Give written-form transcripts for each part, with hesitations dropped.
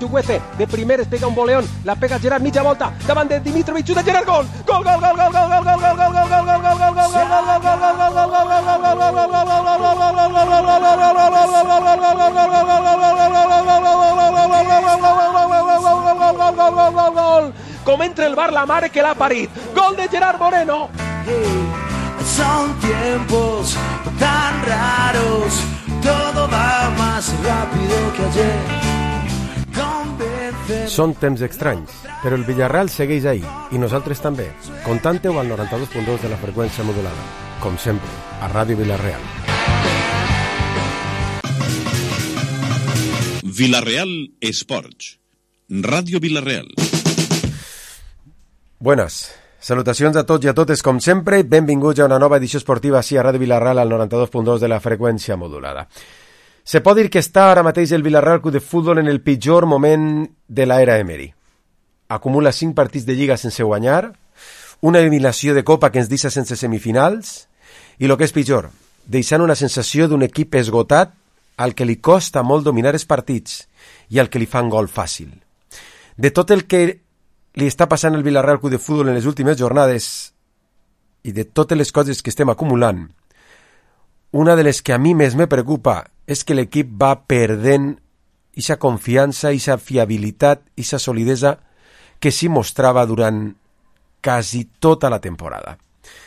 Chukwueze, de primer es pega un boleón, la pega Gerard mitja volta, davant de Dimitrovic, xuta Gerard, gol! Gol, gol, gol, gol, gol, gol, gol, gol, gol, gol, gol, gol, gol, gol, gol, com entra el bar la mare que l'ha parit, gol de Gerard Moreno. Son tiempos tan raros, todo va más rápido que ayer. Són temps estranys, però el Villarreal segueix ahí, i nosaltres també. Contante-ho al 92.2 de la freqüència modulada, com sempre, a Ràdio Villarreal. Villarreal Esports, Ràdio Villarreal. Buenas. Salutacions a tots i a totes, com sempre, benvinguts a una nova edició esportiva així a Ràdio Villarreal al 92.2 de la freqüència modulada. Se pot dir que està ara mateix el Villarreal Club de Futbol en el pitjor moment de l'era Emery. Acumula 5 partits de Lliga sense guanyar, una eliminació de Copa que ens deixa sense semifinals, i el que és pitjor, deixant una sensació d'un equip esgotat al que li costa molt dominar els partits i al que li fan gol fàcil. De tot el que li està passant al Villarreal Club de Futbol en les últimes jornades i de totes les coses que estem acumulant, una de les que a mi més me preocupa és que l'equip va perdent aquesta confiança, aquesta fiabilitat, aquesta solidesa que s'hi mostrava durant quasi tota la temporada.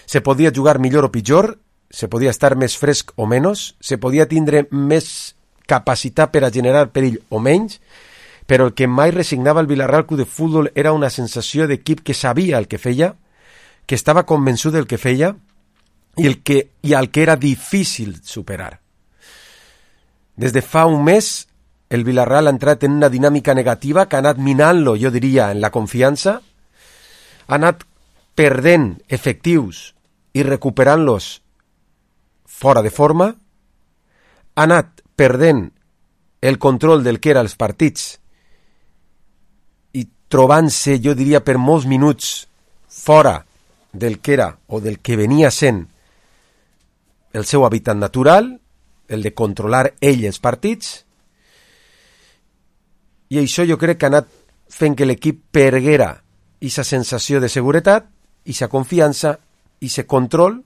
Se podia jugar millor o pitjor, se podia estar més fresc o menys, se podia tindre més capacitat per a generar perill o menys, però el que mai resignava el Villarreal Club de Futbol era una sensació d'equip que sabia el que feia, que estava convençut del que feia i al que era difícil superar. Des de fa un mes, el Villarreal ha entrat en una dinàmica negativa que ha anat minant-lo, jo diria, en la confiança, ha anat perdent efectius i recuperant-los fora de forma, ha anat perdent el control del que eren els partits i trobant-se, jo diria, per molts minuts fora del que era o del que venia sent el seu hàbitat natural, el de controlar ell els partits, i això jo crec que ha anat fent que l'equip perguera aquesta sensació de seguretat, aquesta confiança, aquest control,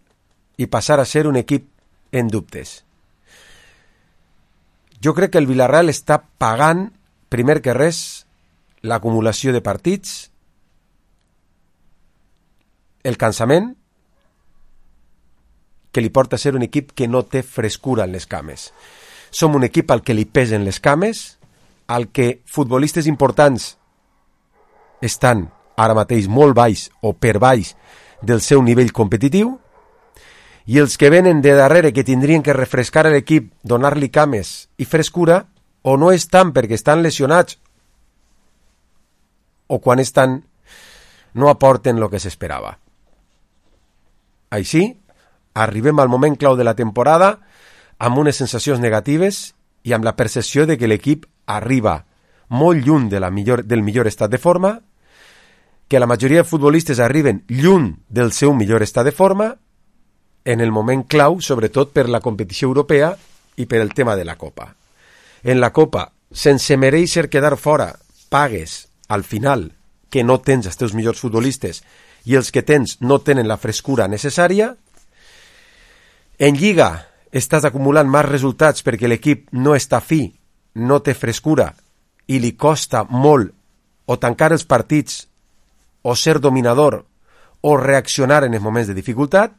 i passar a ser un equip en dubtes. Jo crec que el Villarreal està pagant, primer que res, l'acumulació de partits, el cansament, que li porta a ser un equip que no té frescura en les cames. Som un equip al que li pesen les cames, al que futbolistes importants estan ara mateix molt baix o per baix del seu nivell competitiu, i els que venen de darrere que tindrien que refrescar l'equip, donar-li cames i frescura, o no estan perquè estan lesionats, o quan estan no aporten el que s'esperava. Així, arribem al moment clau de la temporada amb unes sensacions negatives i amb la percepció de que l'equip arriba molt lluny del millor estat de forma, que la majoria de futbolistes arriben lluny del seu millor estat de forma en el moment clau, sobretot per la competició europea i per el tema de la Copa. En la Copa, sense mereixer quedar fora, pagues al final que no tens els teus millors futbolistes i els que tens no tenen la frescura necessària. En Lliga estàs acumulant més resultats perquè l'equip no està fi, no té frescura i li costa molt o tancar els partits o ser dominador o reaccionar en els moments de dificultat.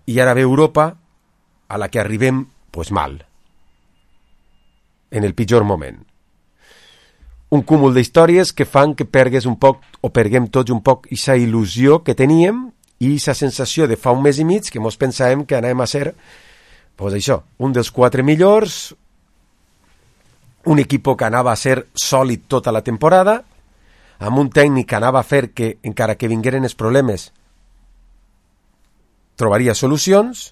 I ara ve Europa, a la que arribem pues mal, en el pitjor moment. Un cúmul d'històries que fan que pergues un poc o perguem tots un poc aquesta il·lusió que teníem i aquesta sensació de fa un mes i mig que mos pensàvem que anàvem a ser pues això, un dels 4 millors, un equip que anava a ser sòlid tota la temporada, amb un tècnic que anava a fer que, encara que vingueren els problemes, trobaria solucions,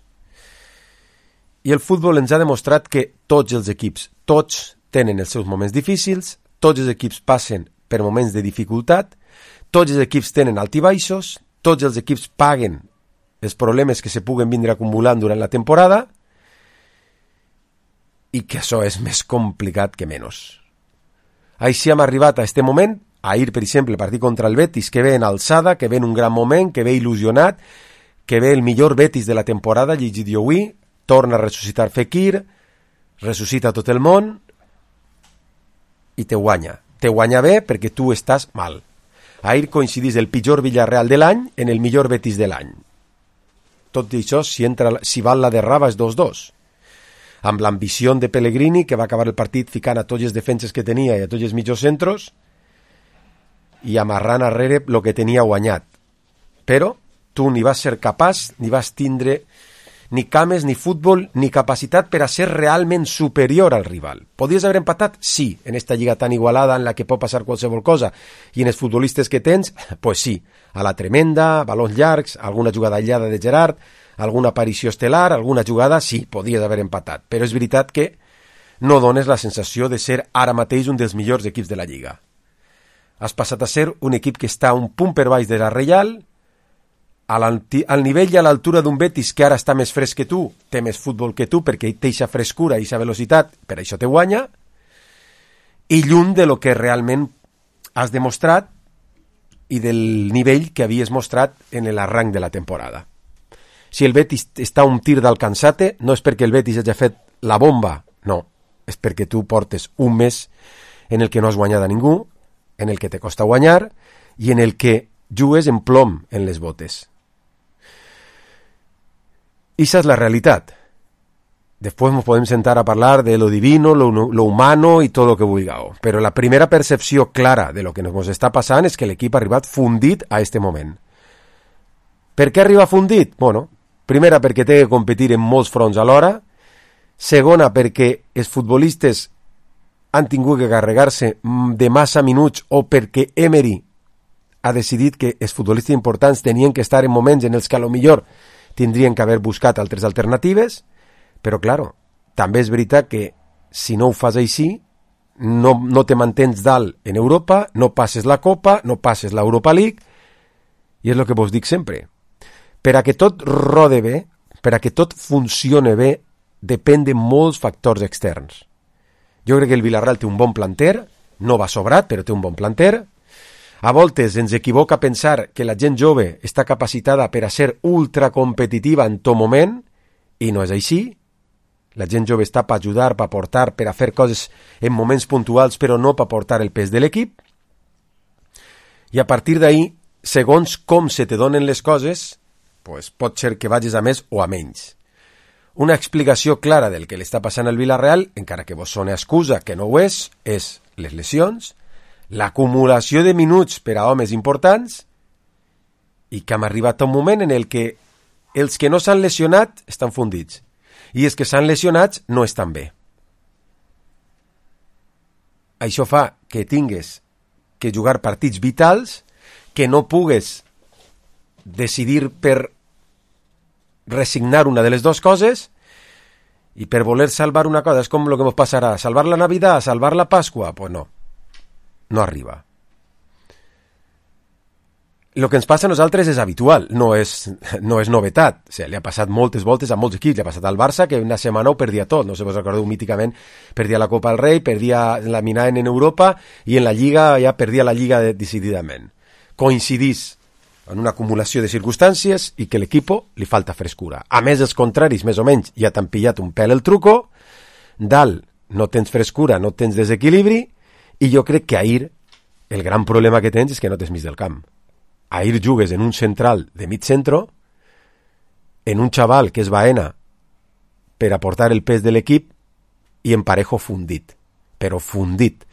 i el futbol ens ha demostrat que tots els equips, tots tenen els seus moments difícils, tots els equips passen per moments de dificultat, tots els equips tenen altibaixos, tots els equips paguen els problemes que se puguen vindre acumulant durant la temporada, i que això és més complicat que menys. Així hem arribat a este moment. Ahir, per exemple, el partit contra el Betis, que ve en alçada, que ve en un gran moment, que ve il·lusionat, que ve el millor Betis de la temporada, llegit jo avui, torna a ressuscitar Fekir, ressuscita tot el món i te guanya. Te guanya bé perquè tu estàs mal. Ahir coincidís el pitjor Villarreal de l'any en el millor Betis de l'any. Tot i això, si val la derraba és 2-2. Amb l'ambició de Pellegrini, que va acabar el partit ficant a tots els defenses que tenia i a tots els mitjos centros, i amarrant arrere el que tenia guanyat. Però tu ni vas ser capaç, ni vas tindre ni cames, ni futbol, ni capacitat per a ser realment superior al rival. Podries haver empatat? Sí, en esta lliga tan igualada en la que pot passar qualsevol cosa. I en els futbolistes que tens, pues sí, a la tremenda, balons llargs, alguna jugada aïllada de Gerard, alguna aparició estel·lar, alguna jugada, sí, podries haver empatat. Però és veritat que no dones la sensació de ser ara mateix un dels millors equips de la lliga. Has passat a ser un equip que està un punt per baix de la Reial, al nivell i a l'altura d'un Betis que ara està més fresc que tu, té més futbol que tu perquè té eixa frescura i eixa velocitat, per això te guanya, i lluny de lo que realment has demostrat i del nivell que havies mostrat en l'arranc de la temporada. Si el Betis està un tir d'alcançar-te, no és perquè el Betis hagi fet la bomba, no, és perquè tu portes un mes en el que no has guanyat a ningú, en el que te costa guanyar i en el que jugues en plom en les botes. Esa es la realitat. Después nos podem sentar a parlar de lo divino, lo humano y todo lo que vulgueu. Però la primera percepció clara de lo que nos està passant és que l'equip ha arribat fundit a este moment. Per què arriba fundit? Bueno, primera perquè té que competir en molts fronts alhora. Segona perquè els futbolistes han tingut que carregar-se de massa minuts o perquè Emery ha decidit que els futbolistes importants tenien que estar en moments en els que a lo millor tindrien que haver buscat altres alternatives, però, claro, també és veritat que si no ho fas així, no te mantens dalt en Europa, no passes la Copa, no passes l'Europa League, i és el que vos dic sempre. Per a que tot rode bé, per a que tot funcione bé, depèn de molts factors externs. Jo crec que el Villarreal té un bon planter, no va sobrat, però té un bon planter. A voltes ens equivoca pensar que la gent jove està capacitada per a ser ultracompetitiva en tot moment, i no és així. La gent jove està per ajudar, per aportar, per a fer coses en moments puntuals, però no per aportar el pes de l'equip. I a partir d'ahí, segons com se te donen les coses, pues pot ser que vagis a més o a menys. Una explicació clara del que li està passant al Villarreal, encara que vos sona excusa, que no ho és les lesions, l'acumulació de minuts per a homes importants i que hem arribat a un moment en el que els que no s'han lesionat estan fundits i els que s'han lesionat no estan bé. Això fa que tingues que jugar partits vitals, que no pugues decidir per resignar una de les dues coses i per voler salvar una cosa. És com el que ens passarà, salvar la Navidad, salvar la Pasqua, pues no arriba. El que ens passa a nosaltres és habitual, no és novetat. O sigui, li ha passat moltes voltes a molts equips. Li ha passat al Barça, que una setmana ho perdia tot. No sé si vos recordeu míticament, perdia la Copa del Rei, perdia la Minaen en Europa i en la Lliga ja perdia la Lliga decididament. Coincidís en una acumulació de circumstàncies i que l'equip li falta frescura. A més, els contraris, més o menys, ja t'han pillat un pèl el truco, dalt no tens frescura, no tens desequilibri, i jo crec que ahir el gran problema que tens és que no tens mig del camp. Ahir jugues en un central de mig centro, en un xaval que és Baena per aportar el pes de l'equip i en Parejo fundit, però fundit.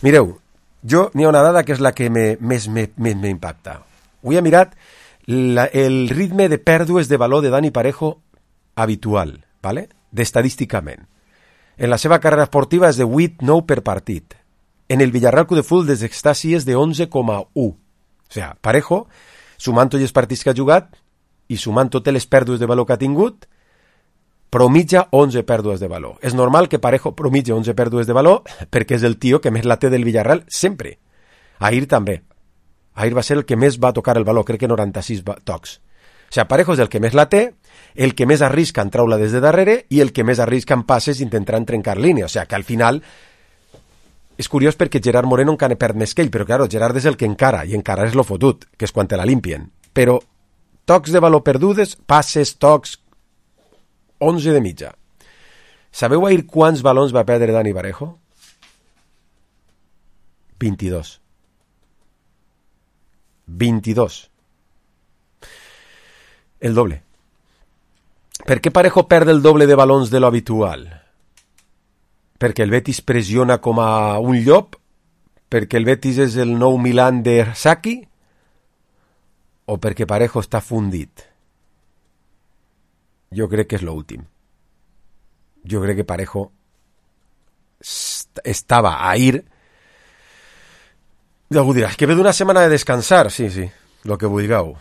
Mireu, n'hi ha una dada que és la que més m'impacta. Avui he mirat el ritme de pèrdues de valor de Dani Parejo habitual, ¿vale? D'estadísticament. En la seva carrera esportiva és de 8-9 per partit. En el Villarreal Club de Futbol des que està així és de 11,1. O sigui, Parejo, sumant tots els partits que ha jugat i sumant totes les pèrdues de valor que ha tingut, promitja 11 pèrdues de valor. És normal que Parejo promitja 11 pèrdues de valor perquè és el tio que més la té del Villarreal sempre. Ahir també. Ahir va ser el que més va tocar el valor, crec que 96 tocs. O sigui, Parejo és el que més la té el que més arrisca en treure des de darrere i el que més arrisca en passes intentant trencar línia. O sigui que al final és curiós perquè Gerard Moreno encara perd més que ell, però claro, Gerard és el que encara, i encara és lo fotut, que és quan te la limpien. Però tocs de valor perdudes, passes, tocs, 11 de mitja. Sabeu ahir quants balons va perdre Dani Parejo? 22. 22. El doble. Per què Parejo perd el doble de balons de lo habitual? Perquè el Betis pressiona com a un llop? Perquè el Betis és el nou Milan de Saki? O perquè Parejo està fundit? Jo crec que és l'últim. Jo crec que Parejo estava ahir. Algú dirà, és que ve d'una setmana de descansar. Sí, lo que vulgueu.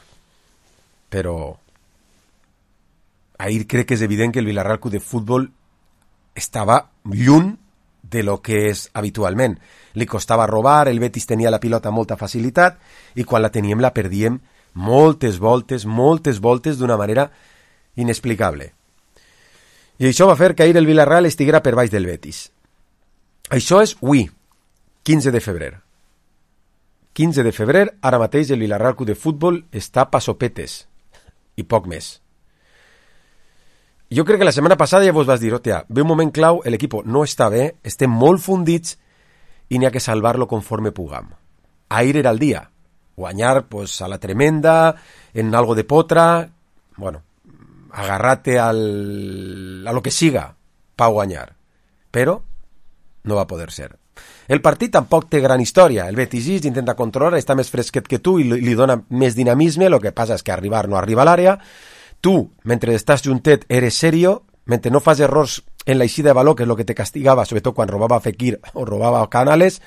Però ahir crec que és evident que el Villarreal Club de Futbol estava lluny de lo que és habitualment. Li costava robar, el Betis tenia la pilota amb molta facilitat i quan la teníem la perdíem moltes voltes d'una manera inexplicable. I això va fer que ahir el Villarreal estiguera per baix del Betis. Això és avui, 15 de febrer. 15 de febrer, ara mateix el Villarreal Club de Futbol està a sopetes i poc més. Jo crec que la setmana passada ja vos vas dir, hòstia, ve un moment clau, l'equip no està bé, estem molt fundits i n'hi ha que salvar-lo conforme puguem. Ahir era el dia. Guanyar pues, a la tremenda, en algo de potra, bueno, agarrate a lo que siga pa guanyar. Però no va poder ser. El partit tampoc té gran història. El Betis intenta controlar, està més fresquet que tu i li dona més dinamisme, el que passa és que arribar no arriba a l'àrea. Tu, mentre estàs juntet, eres serio, mentre no fas errors en la eixida de valor, que és el que te castigava, sobretot quan robava Fekir o robava Canales,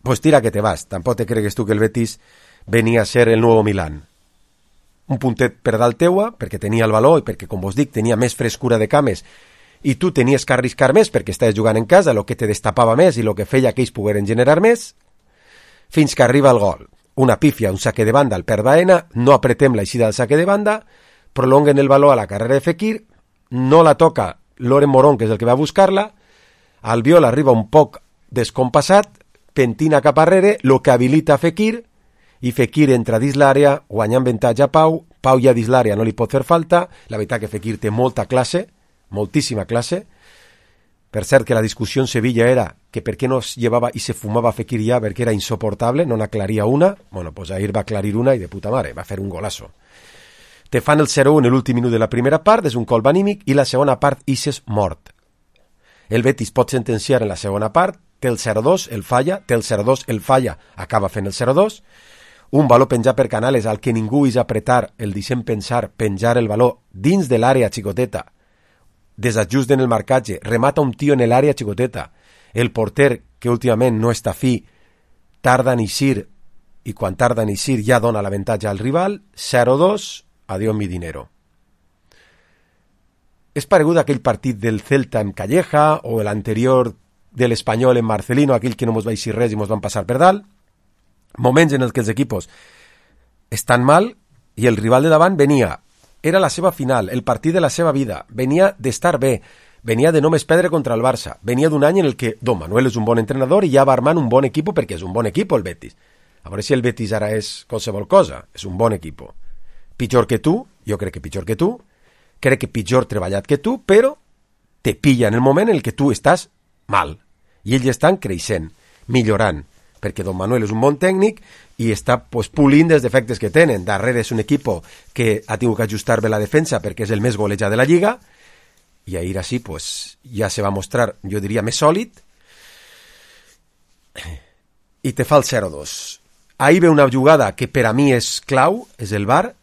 pues tira que te vas. Tampoc te cregues tu que el Betis venia a ser el nuevo Milán. Un puntet per dalt teua, perquè tenia el valor i perquè, com vos dic, tenia més frescura de cames i tu tenies que arriscar més perquè estaves jugant en casa, el que te destapava més i el que feia que ells pogueren generar més, fins que arriba el gol. Una pífia, un saque de banda al perd Aena, no apretem l'eixida del saque de banda, prolonguen el valor a la carrera de Fekir, no la toca Loren Morón, que és el que va a buscar-la, Albiol arriba un poc descompassat, pentina cap arrere, lo que habilita Fekir, i Fekir entra dins l'àrea, guanyant avantatge a Pau, Pau ja dins l'àrea no li pot fer falta, la veritat que Fekir té molta classe, moltíssima classe. Per cert que la discussió en Sevilla era que per què no es llevava i se fumava Fekir ja, perquè era insoportable, no n'aclaria una, bueno, pues ahir va aclarir una i de puta mare, va fer un golazo. Te fan el 0-1 en l'últim minut de la primera part, és un colp anímic, i la segona part ixes mort. El Betis pot sentenciar en la segona part, té el 0-2, el falla, té el 0-2, el falla, acaba fent el 0-2, un valor penjat per Canales al que ningú és apretar, el deixem pensar, penjar el valor dins de l'àrea xicoteta, desajusten el marcatge, remata un tio en l'àrea xicoteta, el porter, que últimament no està fi, tarda en eixir, i quan tarda en eixir ja dona l'avantatge al rival, 0-2, adiós mi dinero. És paregut a aquell partit del Celta en Calleja o l'anterior de l'Espanyol en Marcelino, aquell que no mos va eixir res i mos van passar per dalt. Moments en els que els equipos estan mal i el rival de davant era la seva final, el partit de la seva vida, venia d'estar bé, venia de només perdre contra el Barça, venia d'un any en el que Don Manuel és un bon entrenador i ja va armant un bon equip perquè és un bon equip el Betis. A veure si el Betis ara és qualsevol cosa, és un bon equip. Pitjor que tu, jo crec que pitjor que tu, crec que pitjor treballat que tu, però te pilla en el moment en el que tu estàs mal. I ells estan creixent, millorant, perquè Don Manuel és un bon tècnic i està pulint dels defectes que tenen. Darrere és un equip que ha tingut que ajustar bé la defensa perquè és el més golejat de la Lliga i ahir així ja se va mostrar, jo diria, més sòlid i te fa el 0-2. Ahir ve una jugada que per a mi és clau, és el VAR.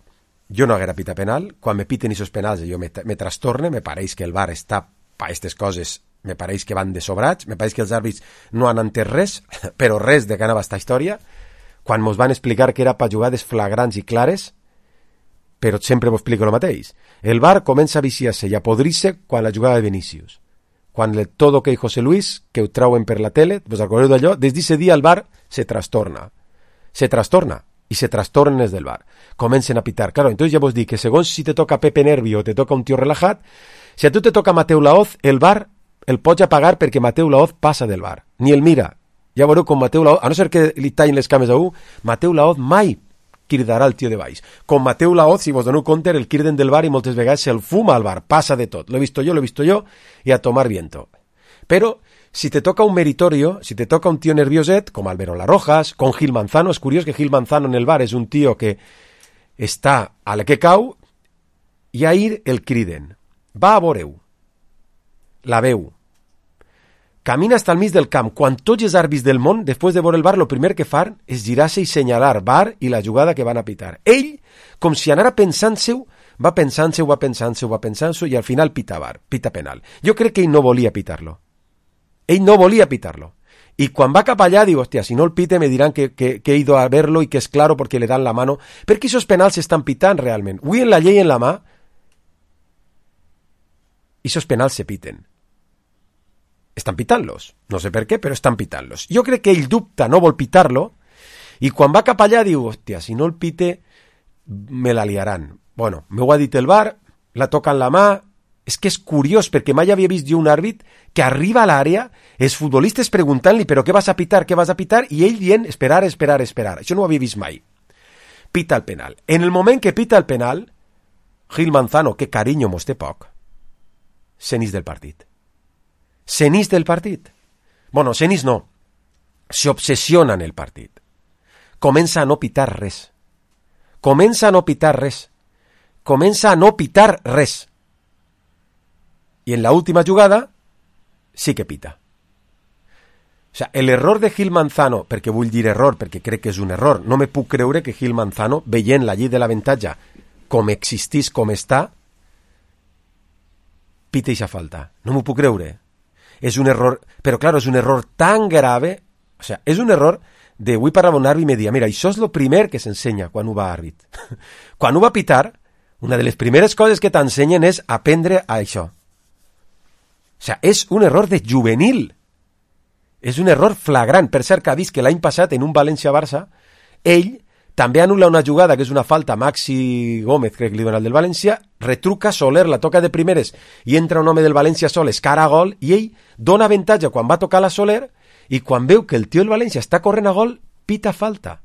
Jo no haguera pita penal, quan me piten aquests penals jo me trastorne, me pareix que el VAR està per aquestes coses, me pareix que van de sobrats, me pareix que els àrbits no han entès res, però res de que anava esta història, quan mos van explicar que era per jugades flagrants i clares, però sempre vos explico el mateix. El VAR comença a viciar-se i a podrir-se quan la jugada de Vinícius. Quan el todo que José Luis, que ho trauen per la tele, vos acordeu d'allò, des d'aquest dia el VAR se trastorna. Se trastorna. y se trastornen els del bar. Comencen a pitar. Claro, entonces ja vos dic que segons si te toca Pepe Nervi o te toca un tio relajat, si a tu te toca Mateu Laoz, el bar el pots apagar perquè Mateu Laoz passa del bar. Ni el mira. Ja veureu com Mateu Laoz, a no ser que li tallin les cames a un, Mateu Laoz mai cridarà el tio de baix. Com Mateu Laoz, si vos doneu compte, el criden del bar i moltes vegades se'l fuma al bar, passa de tot. Lo he visto yo, y a tomar viento. Pero si te toca un meritorio, si te toca un tío nervioset, com Álvaro Larrojas, con Gil Manzano, és curiós que Gil Manzano en el bar és un tío que està a la que cau, i ahir el criden. Va a veureu. La veu. Camina hasta el mig del camp. Quan tots els àrbits del món, després de veure el bar, lo primer que fan és girar-se i senyalar bar i la jugada que van a pitar. Ell, com si anara pensant-se-ho, va pensant-se i al final pita bar, pita penal. Jo crec que ell no volia pitar-lo. Ell no volia pitar-lo. Y quan va cap allà, digo, hostia, si no el pite me dirán que he ido a verlo y que es claro porque le dan la mano. Perquè esos penals s'estan pitant realment. Avui en la llei en la mà, esos penals se piten. Estan pitant-los. No sé per què, però estan pitant-los. Jo crec que ell dubta, no vol pitar-lo, i quan va cap allà diu, hòstia, si no el pite, me la liaran. Bueno, m'ho ha dit el bar, la toca en la mà, és que és curiós, perquè mai havia vist jo un àrbit que arriba a l'àrea, els futbolistes preguntant-li, però què vas a pitar, i ell dient, esperar. Això no ho havia vist mai. Pita el penal. En el moment que pita el penal, Gil Manzano, que carinyo mos té poc, s'enís del partit. S'enís del partit. Bueno, s'enís no. S'obsessiona en el partit. Comença a no pitar res. Comença a no pitar res. Y en la última jugada sí que pita. O sea, el error de Gil Manzano, perquè vull dir error, perquè crec que és un error, no me puc creure que Gil Manzano, veient la llei de l'avantatge com existís, com està, pita ixa falta. No m'ho puc creure. És un error, però claro, és un error tan grave, o sea, és un error de, avui parlava un àrbit i me dia, mira, això és lo primer que s'ensenya quan ho va àrbit. Quan ho va pitar, una de les primeres coses que t'ensenyen és aprendre a això. O sea, és un error de juvenil. És un error flagrant. Per cert, que ha vist que l'any passat, en un València-Barça, ell també anul·la una jugada que és una falta a Maxi Gómez, crec que li dona el del València, retruca Soler, la toca de primeres, i entra un home del València sol, es cara a gol, i ell dona avantatge quan va tocar la Soler, i quan veu que el tio del València està corrent a gol, pita falta.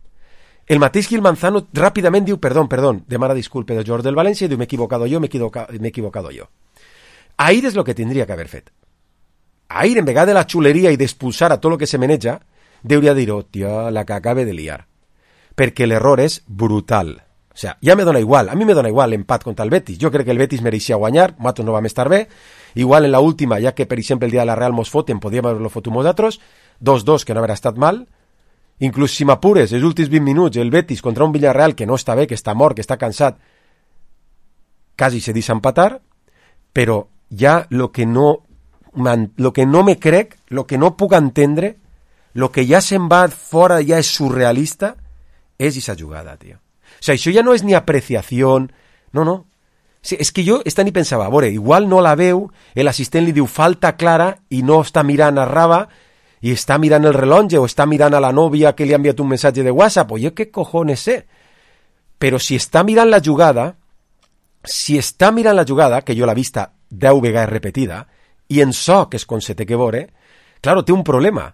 El mateix Gil Manzano ràpidament diu, perdó, demana disculpe del jugador del València, i diu, m'he equivocado jo. Ahir és el que tindria que haver fet. Ahir, en vegada de la xuleria i d'expulsar a tot el que se meneja, deuria dir, tia, la que acabe de liar. Perquè l'error és brutal. O sea, ja me dona igual, a mi me dona igual l'empat contra el Betis. Jo crec que el Betis mereixia guanyar, nosaltres no vam estar bé. Igual en la última, ja que per exemple el dia de la Real mos foten, podíem haver-lo fotut nosaltres, 2-2, que no haver estat mal. Inclús si m'apures, els últims 20 minuts, el Betis contra un Villarreal que no està bé, que està mort, que està cansat, quasi se deixa empatar, però ja lo que no me crec, lo que no puc entendre, lo que ja se'n va fora, ja és surrealista, és esa jugada, tio. O sea, això ja no és ni apreciació, no. Sí, és que jo esta ni pensava, a veure, igual no la veu, l'assistent li diu falta clara i no està mirant a Raba i està mirant el rellotge o està mirant a la nòvia que li ha enviat un missatge de WhatsApp, o jo què cojones sé. Però si està mirant la jugada, que jo l'he vista 10 vegades repetida, i en so, que és com se té que veure, claro, té un problema,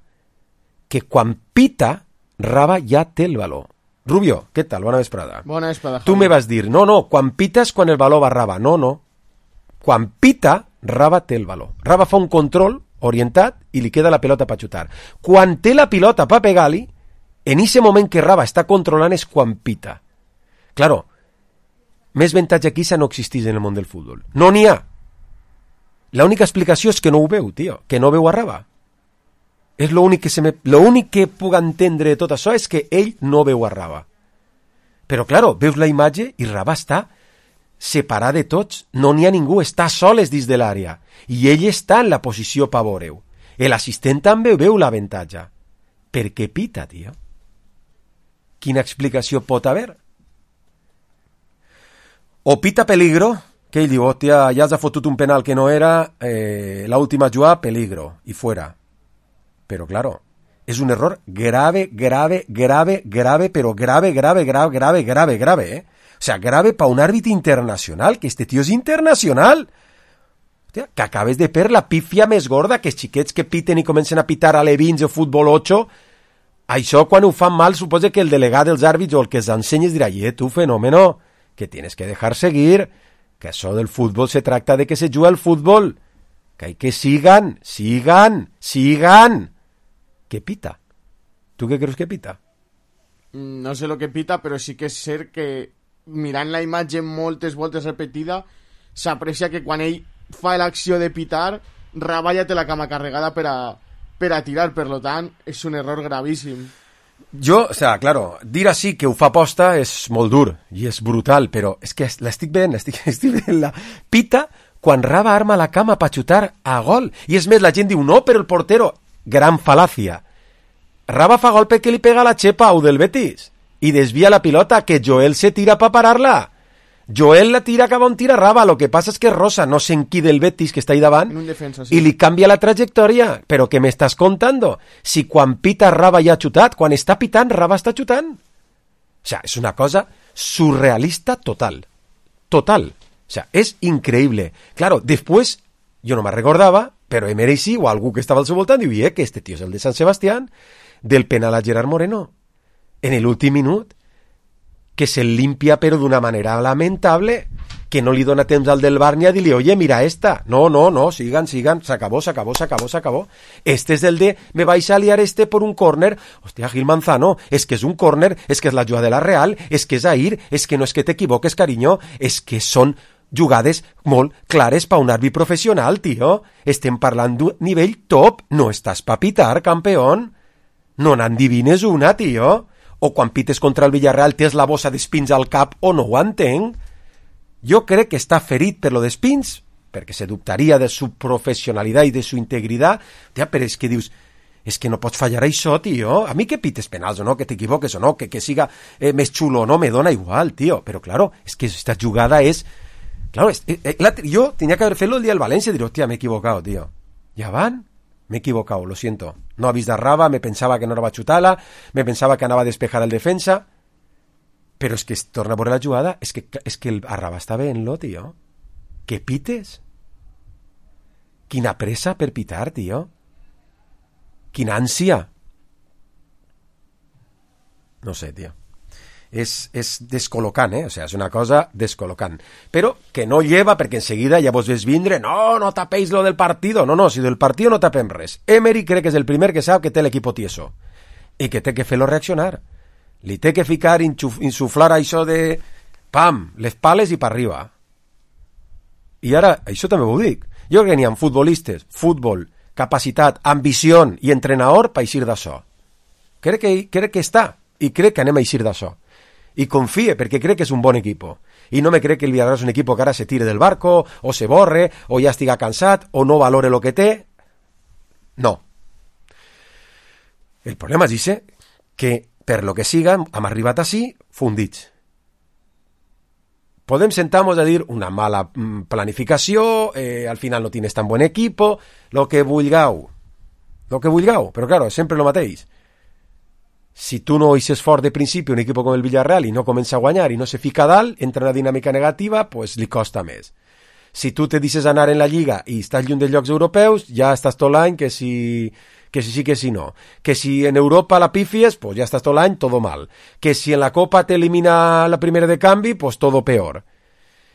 que quan pita, Raba ja té el valor. Rubio, què tal? Bona vesprada. Bona vesprada, Javi. Tu me vas dir, no, quan pites quan el valor va Raba. No. Quan pita, Raba té el valor. Raba fa un control orientat i li queda la pilota per xutar. Quan té la pilota per pegar-li, en ese moment que Raba està controlant és quan pita. Claro, més avantatge que això no existeix en el món del futbol. No n'hi ha. L'única explicació és que no ho veu, tio, que no veu a Raba. És l'únic que puc entendre de tot això és que ell no veu a Raba. Però, claro, veus la imatge i Raba està separat de tots, no n'hi ha ningú, està soles dins de l'àrea, i ell està en la posició per veure-ho. L'assistent també veu l'avantatge. Per què pita, tio? Quina explicació pot haver? O pita peligro, que ell diu, hòstia, ja has fotut un penal que no era, l'última jugada, peligro, i fuera. Però, claro, és un error grave, però grave, ¿eh? O sea, grave para un árbitro internacional, que este tío és internacional. Hòstia, que acabes de per la pífia més gorda, que els xiquets que piten i comencen a pitar a l'E20 o futbol 8, això quan ho fan mal suposa que el delegat dels àrbits o el que els ensenyes dirà, tu fenómeno, que tienes que dejar seguir, que això del futbol se tracta de que se juga al futbol, que hay que sigan. ¿Qué pita? ¿Tú qué crees que pita? No sé lo que pita, però sí que és cert que mirant la imatge moltes voltes repetida s'aprecia que quan ell fa l'acció de pitar, Raballa té la cama carregada per a tirar, per lo tant és un error gravíssim. Jo, o sea, claro, dir així que ho fa posta és molt dur i és brutal, però és que l'estic veient, la pita quan Raba arma la cama per xutar a gol. I és més, la gent diu, no, però el portero, gran fal·làcia. Raba fa gol perquè li pega la xepa a del Betis i desvia la pilota, que Joel se tira per parar-la. Joel la tira cap on tira Raba, lo que passa és que Rosa no sé en qui del Betis que està ahí davant en un defensa, sí. I li canvia la trajectòria. Però què m'estàs contando? Si quan pita Raba ja ha xutat, quan està pitant Raba està xutant. O sea, és una cosa surrealista total. Total. O sea, es increíble. Claro, después, yo no me recordaba, pero Emery sí, o algú que estaba al seu voltant, diu, que este tío es el de San Sebastián, del penal a Gerard Moreno, en el últim minut, que se limpia pero d'una manera lamentable, que no li dona temps al del Bar ni a dir-li, oye, mira esta. No, sigan, se acabó. Este es el de, me vais a liar por un córner. Hostia, Gil Manzano, es que es un córner, es que es la jugada de la Real, es que és ahir, es que no és que t'equivoques, cariño, es que són jugades molt clares pa un àrbit professional, tio. Estem parlant d'un nivell top, no estàs pa pitar, campeón. No n'endivines una, tio. O quan pites contra el Villarreal tens la bossa d'espins al cap o no ho entenc. Jo crec que està ferit per lo d'espins, perquè se dubtaria de su professionalitat i de su integritat, però és que dius, és que no pots fallar això, tio. A mi que pites penals o no, que t'equivoques o no, que siga més xulo o no, me dona igual, tio. Però claro, és que esta jugada és... Claro, yo tenía que haber fet el día del Valencia y dir, hostia, me he equivocado, tío. ¿Ya van? Me he equivocado, lo siento. No ha vist de Raba, me pensava que no anava a xutar-la, me pensava que anava a despejar el defensa, però és que es torna a veure la jugada, és que el Raba està veient-lo, tio. Que pites? Quina pressa per pitar, tio. Quina ànsia. No sé, tio. És descol·locant, o sea, és una cosa descol·locant, però que no lleva perquè enseguida ja vos ves vindre, no tapéis lo del partido, no, si del partido no tapem res. Emery crec que és el primer que sap que té l'equip tieso i que té que fer-lo reaccionar, li té que ficar, insuflar això de pam, les pales i per arriba. I ara, això també ho dic, jo crec que n'hi ha futbolistes, futbol, capacitat, ambició i entrenador per eixir d'això. Crec que està, i crec que anem a eixir d'això. I confie, perquè crec que és un bon equip. I no me crec que el Villarreal és un equip que ara se tire del barco, o se borre, o ja estiga cansat, o no valore lo que té. No. El problema és que, per lo que siga, hem arribat així fundits. Podem sentar-nos a dir una mala planificació, al final no tienes tan buen equipo, lo que vulgueu, però claro, és sempre lo mateix. Si tu no eixes fort de principi un equip com el Villarreal i no comença a guanyar i no se fica a dalt, entra en una dinàmica negativa, pues li costa més. Si tu te deixes anar en la Lliga i estàs lluny dels llocs europeus, ja estàs tot l'any que si sí, que si no. Que si en Europa la pifies, pues ja estàs tot l'any, todo mal. Que si en la Copa t'elimina la primera de canvi, pues todo peor.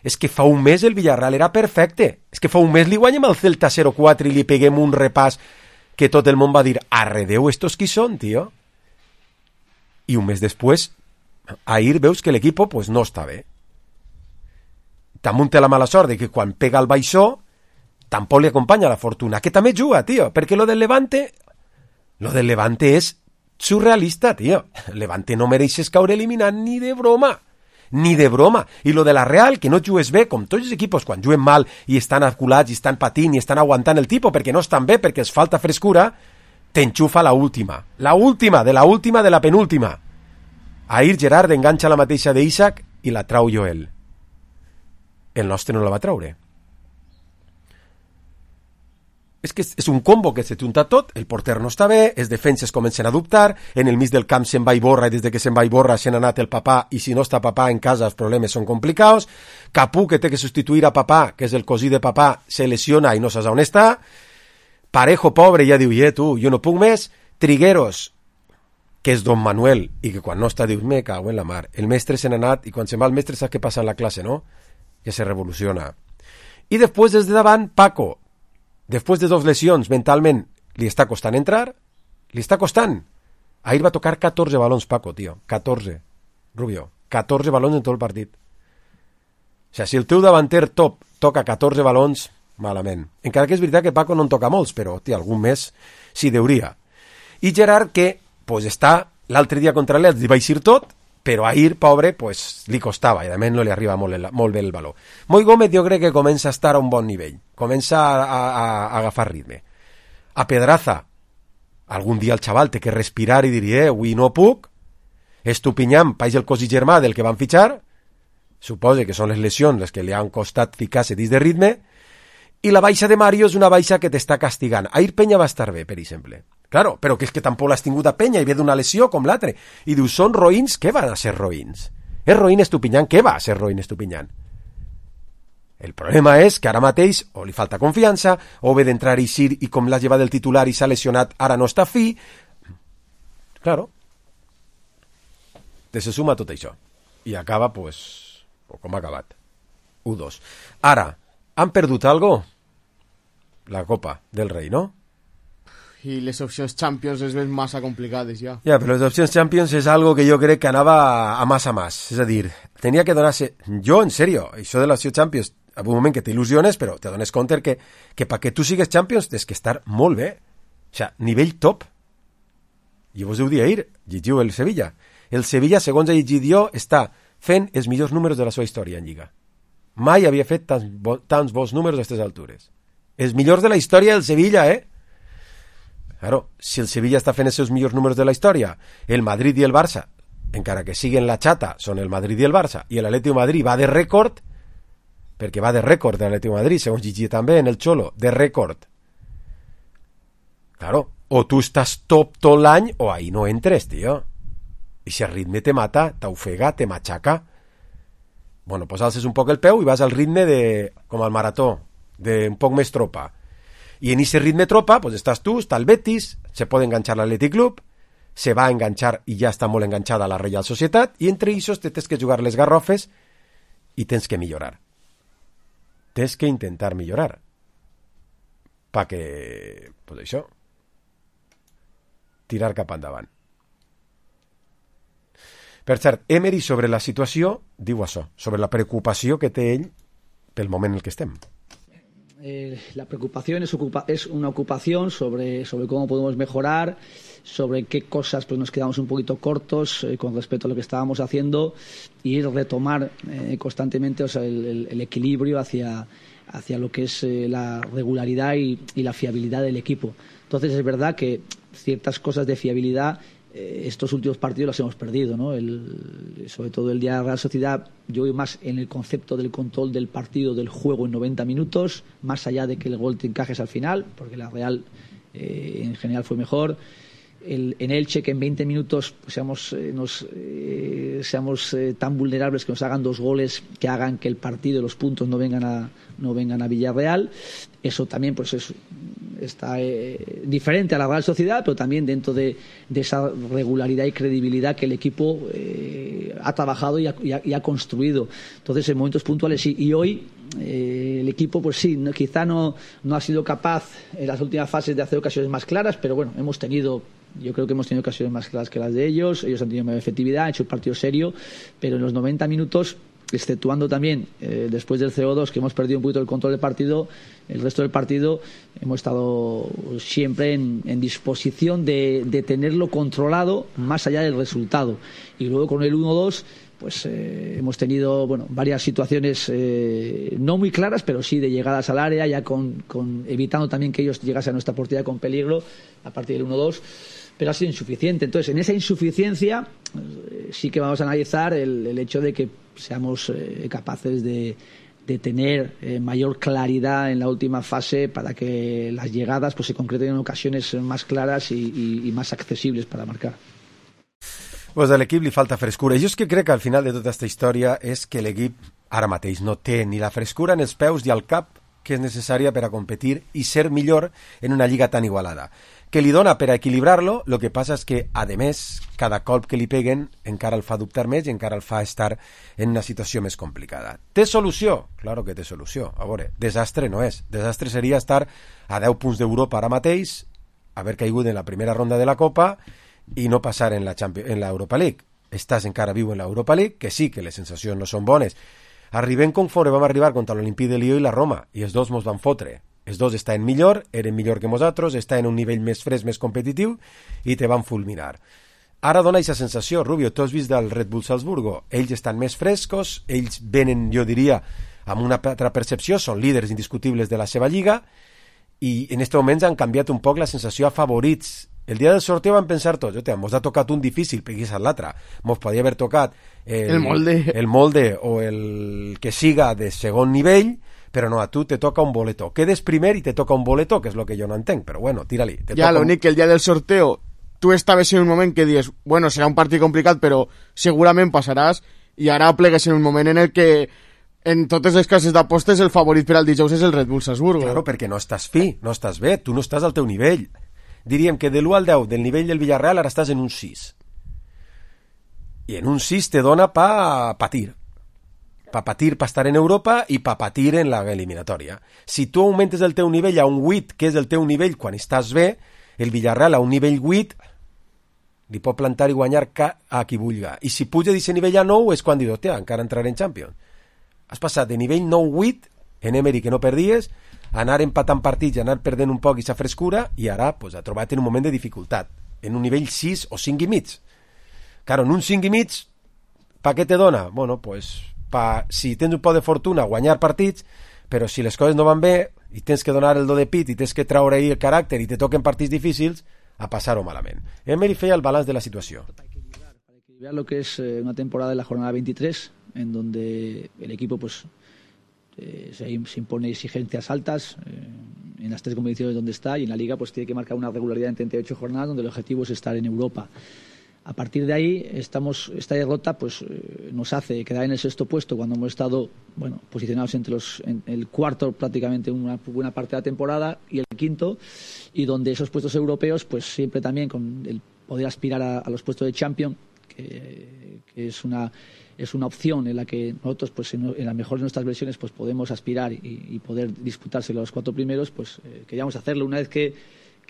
És que fa un mes el Villarreal era perfecte. És que fa un mes li guanyem al Celta 0-4 i li peguem un repàs que tot el món va dir, arredeu estos qui són, tio. I un mes després, ahir veus que l'equip pues, no està bé. També té la mala sort de que quan pega el baixó tampoc li acompanya la fortuna, que també juga, tio, perquè lo del Levante és surrealista, tio. Levante no mereixes caure eliminat ni de broma. I lo de la Real, que no jugues bé, com tots els equips, quan juguen mal i estan aculats i estan patint i estan aguantant el tipus perquè no estan bé, perquè els falta frescura, t'enxufa la última de la penúltima. Ahir Gerard enganxa la mateixa d'Isaac i la trau Joel. El nostre no la va traure. és un combo que se junta tot, el porter no està bé, els defenses comencen a dubtar, en el mig del camp se'n va i borra, i des de que se'n va i borra se n'ha anat el papà, i si no està papà en casa els problemes són complicats. Capú, que té que substituir a papà, que és el cosí de papà, se lesiona i no saps on està. Parejo, pobre, ja diu, tu, jo no puc més. Trigueros, que és Don Manuel, i que quan no està dius, me cago en la mar. El mestre se n'ha anat, i quan se'n va el mestre saps què passa en la classe, no? Que se revoluciona. I després, des de davant, Paco, després de 2 lesions, mentalment, li està costant entrar, li està costant. Ahir va tocar 14 balons, Paco, tio, 14, Rubio, 14 balons en tot el partit. O sigui, si el teu davanter top toca 14 balons, malament. Encara que és veritat que Paco no en toca molts, però, tio, algun més s'hi deuria. I Gerard, que, pues, està l'altre dia contra l'Elx, li va eixir tot, però ahir, pobre, pues, li costava, i a més no li arriba molt bé el baló. Moi Gómez jo crec que comença a estar a un bon nivell, comença a agafar ritme. A Pedraza, algun dia el xaval té que respirar i dir, avui no puc. Estupinyán, país el cosí germà del que van fitxar, suposa que són les lesions les que li han costat ficar-se dins de ritme, i la baixa de Mario és una baixa que t'està castigant. Ahir Penya va estar bé, per exemple. Claro, però que és que tampoc l'has tingut a Penya i ve d'una lesió com l'altre. I dius, són roïns? Què van a ser roïns? És roïn Estupinyán? Què va a ser roïn Estupinyán? El problema és que ara mateix o li falta confiança, o ve d'entrar i eixir i com l'ha llevat el titular i s'ha lesionat, ara no està fi. Claro. Se suma tot això. I acaba, pues, com ha acabat. 1-2. Ara, han perdut algo? La Copa del Rei, no? I les opcions Champions es ven massa complicades ja. Ja, però les opcions Champions és algo que jo crec que anava a más a más. És a dir, tenia que donar-se... Jo, en serio, això de l'opció Champions, en un moment que t'il·lusiones, però te dones compte que perquè tu sigues Champions tens que estar molt bé. O sigui, nivell top. I vos heu dit ahir, llegiu el Sevilla. El Sevilla, segons he llegit jo, està fent els millors números de la seva història en Lliga. Mai havia fet tants bons números a aquestes altures. Els millors de la història del Sevilla, Claro, si el Sevilla està fent els seus millors números de la història, el Madrid i el Barça, encara que siguen la xata, són el Madrid i el Barça, i l'Atlético de Madrid va de rècord, perquè va de rècord l'Atlético de Madrid, segons Gigi també en el Xolo, de rècord. Claro, o tu estàs top tot l'any, o ahí no entres, tio. I si el ritme te mata, t'ofega, te matxaca. Bueno, pues alces un poc el peu i vas al ritme de, com al marató, de un poc més tropa. I en ese ritme tropa, pues estàs tu, està el Betis, se pot enganxar l'Atlètic Club, se va a enganxar i ja està molt enganxada la Reial Societat, i entre ells tens que jugar les garrofes i tens que millorar. Tens que intentar millorar. Perquè, pues això, tirar cap endavant. Per cert, Emery sobre la situació diu això, sobre la preocupació que té ell pel moment en el que estem. La preocupación es una ocupación sobre cómo podemos mejorar, sobre qué cosas pues nos quedamos un poquito cortos con respecto a lo que estábamos haciendo y retomar constantemente, o sea, el equilibrio hacia lo que es la regularidad y la fiabilidad del equipo. Entonces es verdad que ciertas cosas de fiabilidad estos últimos partidos los hemos perdido, ¿no? Sobre todo el día de la Real Sociedad, yo voy más en el concepto del control del partido, del juego en 90 minutos, más allá de que el gol te encajes al final, porque la Real en general fue mejor. En Elche, que en 20 minutos seamos tan vulnerables que nos hagan 2 goles que hagan que el partido y los puntos no vengan a Villarreal. Eso también pues está diferente a la Real Sociedad, pero también dentro de esa regularidad y credibilidad que el equipo ha trabajado y ha construido. Entonces, en momentos puntuales sí. Y hoy el equipo, pues sí, quizá no ha sido capaz en las últimas fases de hacer ocasiones más claras, pero bueno, yo creo que hemos tenido ocasiones más claras que las de ellos. Ellos han tenido más efectividad, han hecho un partido serio, pero en los 90 minutos, exceptuando también después del CO2, que hemos perdido un poquito el control del partido, el resto del partido hemos estado siempre en disposición de tenerlo controlado más allá del resultado. Y luego con el 1-2 pues hemos tenido varias situaciones no muy claras, pero sí de llegadas al área, ya con evitando también que ellos llegasen a nuestra portería con peligro a partir del 1-2, pero ha sido insuficiente. Entonces, en esa insuficiencia sí que vamos a analizar el hecho de que seamos capaces de tener mayor claridad en la última fase para que las llegadas pues se concreten en ocasiones más claras y más accesibles para marcar. Pues a l'equip li falta frescura. Jo és que crec que al final de tota aquesta història és que l'equip ara mateix no té ni la frescura en els peus ni al cap que és necessària per a competir i ser millor en una lliga tan igualada. Que li dona per a equilibrar-lo, el que passa és que, a més, cada colp que li peguen encara el fa dubtar més i encara el fa estar en una situació més complicada. Té solució? Claro que té solució. A veure, desastre no és. Desastre seria estar a 10 punts d'Europa ara mateix, haver caigut en la primera ronda de la Copa i no passar en la Europa League. Estàs encara viu en l'Europa League, que sí, que les sensacions no són bones. Arribem conforme vam arribar contra l'Olimpí de Lió i la Roma, i els dos mos van fotre. Els dos estaven millor, eren millor que nosaltres, estaven en un nivell més fresc, més competitiu, i te van fulminar. Ara dona aquesta sensació, Rubio, tu has vist del Red Bull Salzburgo, ells estan més frescos, ells venen, jo diria, amb una altra percepció, són líders indiscutibles de la seva lliga, i en aquest moment han canviat un poc la sensació a favorits. El dia del sorteo vam pensar tots, mos ha tocat un difícil, perquè és l'altre. Mos podria haver tocat el molde o el que siga de segon nivell, però no, a tu te toca un boleto. Quedes primer i te toca un boleto, que és el que jo no entenc, però bueno, tira-li. Ja, l'únic que el dia del sorteo tu estaves en un moment que dius, bueno, serà un partit complicat, però segurament passaràs, i ara plegues en un moment en el que en totes les cases d'apostes el favorit per al dijous és el Red Bull Salzburgo. Claro, perquè no estàs fi, no estàs bé, tu no estàs al teu nivell. Diríem que de l'1 al 10 del nivell del Villarreal ara estàs en un 6. I en un 6 te dona pa patir. Pa patir, pa estar en Europa i pa patir en la eliminatòria. Si tu augmentes el teu nivell a un 8, que és el teu nivell quan estàs bé, el Villarreal a un nivell 8 li pot plantar i guanyar a qui vulga. I si puja d'aquest nivell a 9 és quan dius, hòstia, encara entraré en Champions. Has passat de nivell 9-8, en Emery que no perdies, anar empatant partits, anar perdent un poc aquesta frescura, i ara pues, ha trobat en un moment de dificultat, en un nivell 6 o 5 i mig. Claro, en un 5 i mig, pa què te dona? Bueno, pues, si tens un poc de fortuna, guanyar partits, però si les coses no van bé, i tens que donar el do de pit, i tens que traure ahí el caràcter, i te toquen partits difícils, a passar-ho malament. Emery feia el balanç de la situació. Para equilibrar lo que es una temporada de la jornada 23, en donde el equipo pues se impone exigencias altas en las tres competiciones donde está, y en la Liga pues tiene que marcar una regularidad en 38 jornadas donde el objetivo es estar en Europa. A partir de ahí esta derrota pues nos hace quedar en el sexto puesto cuando hemos estado posicionados en el cuarto prácticamente una buena parte de la temporada, y el quinto, y donde esos puestos europeos pues siempre también con el poder aspirar a los puestos de Champions, que es una opción en la que nosotros pues en la mejor de nuestras versiones pues podemos aspirar y poder disputárselo a los cuatro primeros, pues queríamos hacerlo. Una vez que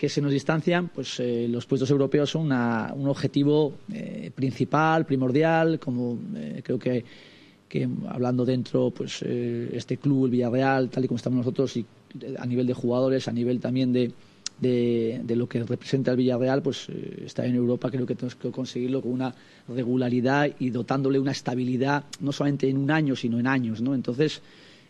se nos distancian, pues los puestos europeos son un objetivo principal, primordial, como creo que hablando dentro pues este club, el Villarreal, tal y como estamos nosotros, y a nivel de jugadores, a nivel también de lo que representa el Villarreal, pues estar en Europa creo que tenemos que conseguirlo con una regularidad y dotándole una estabilidad, no solamente en un año, sino en años, ¿no? Entonces,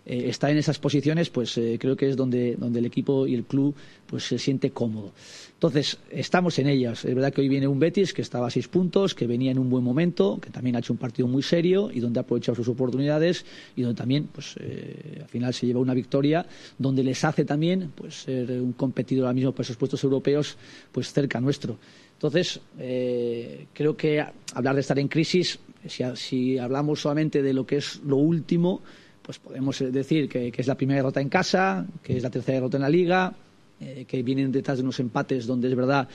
estar en esas posiciones, pues creo que es donde el equipo y el club pues se siente cómodo. Entonces, estamos en ellas. Es verdad que hoy viene un Betis que estaba a 6 puntos, que venía en un buen momento, que también ha hecho un partido muy serio y donde ha aprovechado sus oportunidades, y donde también pues al final se lleva una victoria donde les hace también pues ser un competidor ahora mismo por esos puestos europeos pues cerca nuestro. Entonces, creo que hablar de estar en crisis, si hablamos solamente de lo que es lo último, pues podemos decir que es la primera derrota en casa, que es la tercera derrota en la Liga, que vienen detrás de unos empates donde es verdad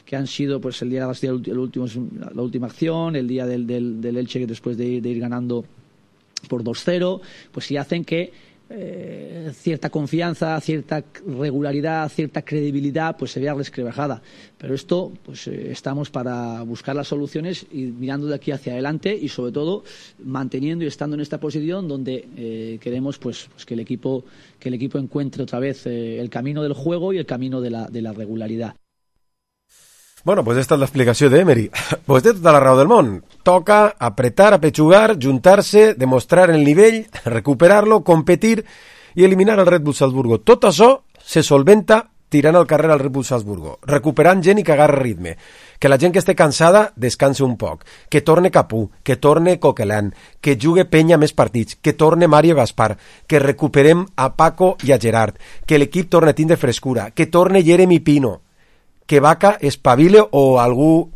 que han sido pues el día de la última acción, el día del Elche después de ir ganando por 2-0, pues sí hacen que cierta confianza, cierta regularidad, cierta credibilidad pues se vea resquebrajada. Pero esto pues estamos para buscar las soluciones y mirando de aquí hacia adelante, y sobre todo manteniendo y estando en esta posición donde queremos pues que el equipo encuentre otra vez el camino del juego y el camino de la regularidad. Bueno, pues esta és l'explicació d'Emery. Pues té tota la raó del món. Toca apretar, apechugar, juntar-se, demostrar el nivell, recuperar-lo, competir i eliminar el Red Bull Salzburgo. Tot això se solventa tirant al carrer al Red Bull Salzburgo, recuperant gent i que agarra ritme, que la gent que esté cansada descanse un poc, que torne Capú, que torne Coquelin, que jugue Penya més partits, que torne Mario Gaspar, que recuperem a Paco i a Gerard, que l'equip torne a tindre frescura, que torne Jeremy Pino, que Vaca espavile o algú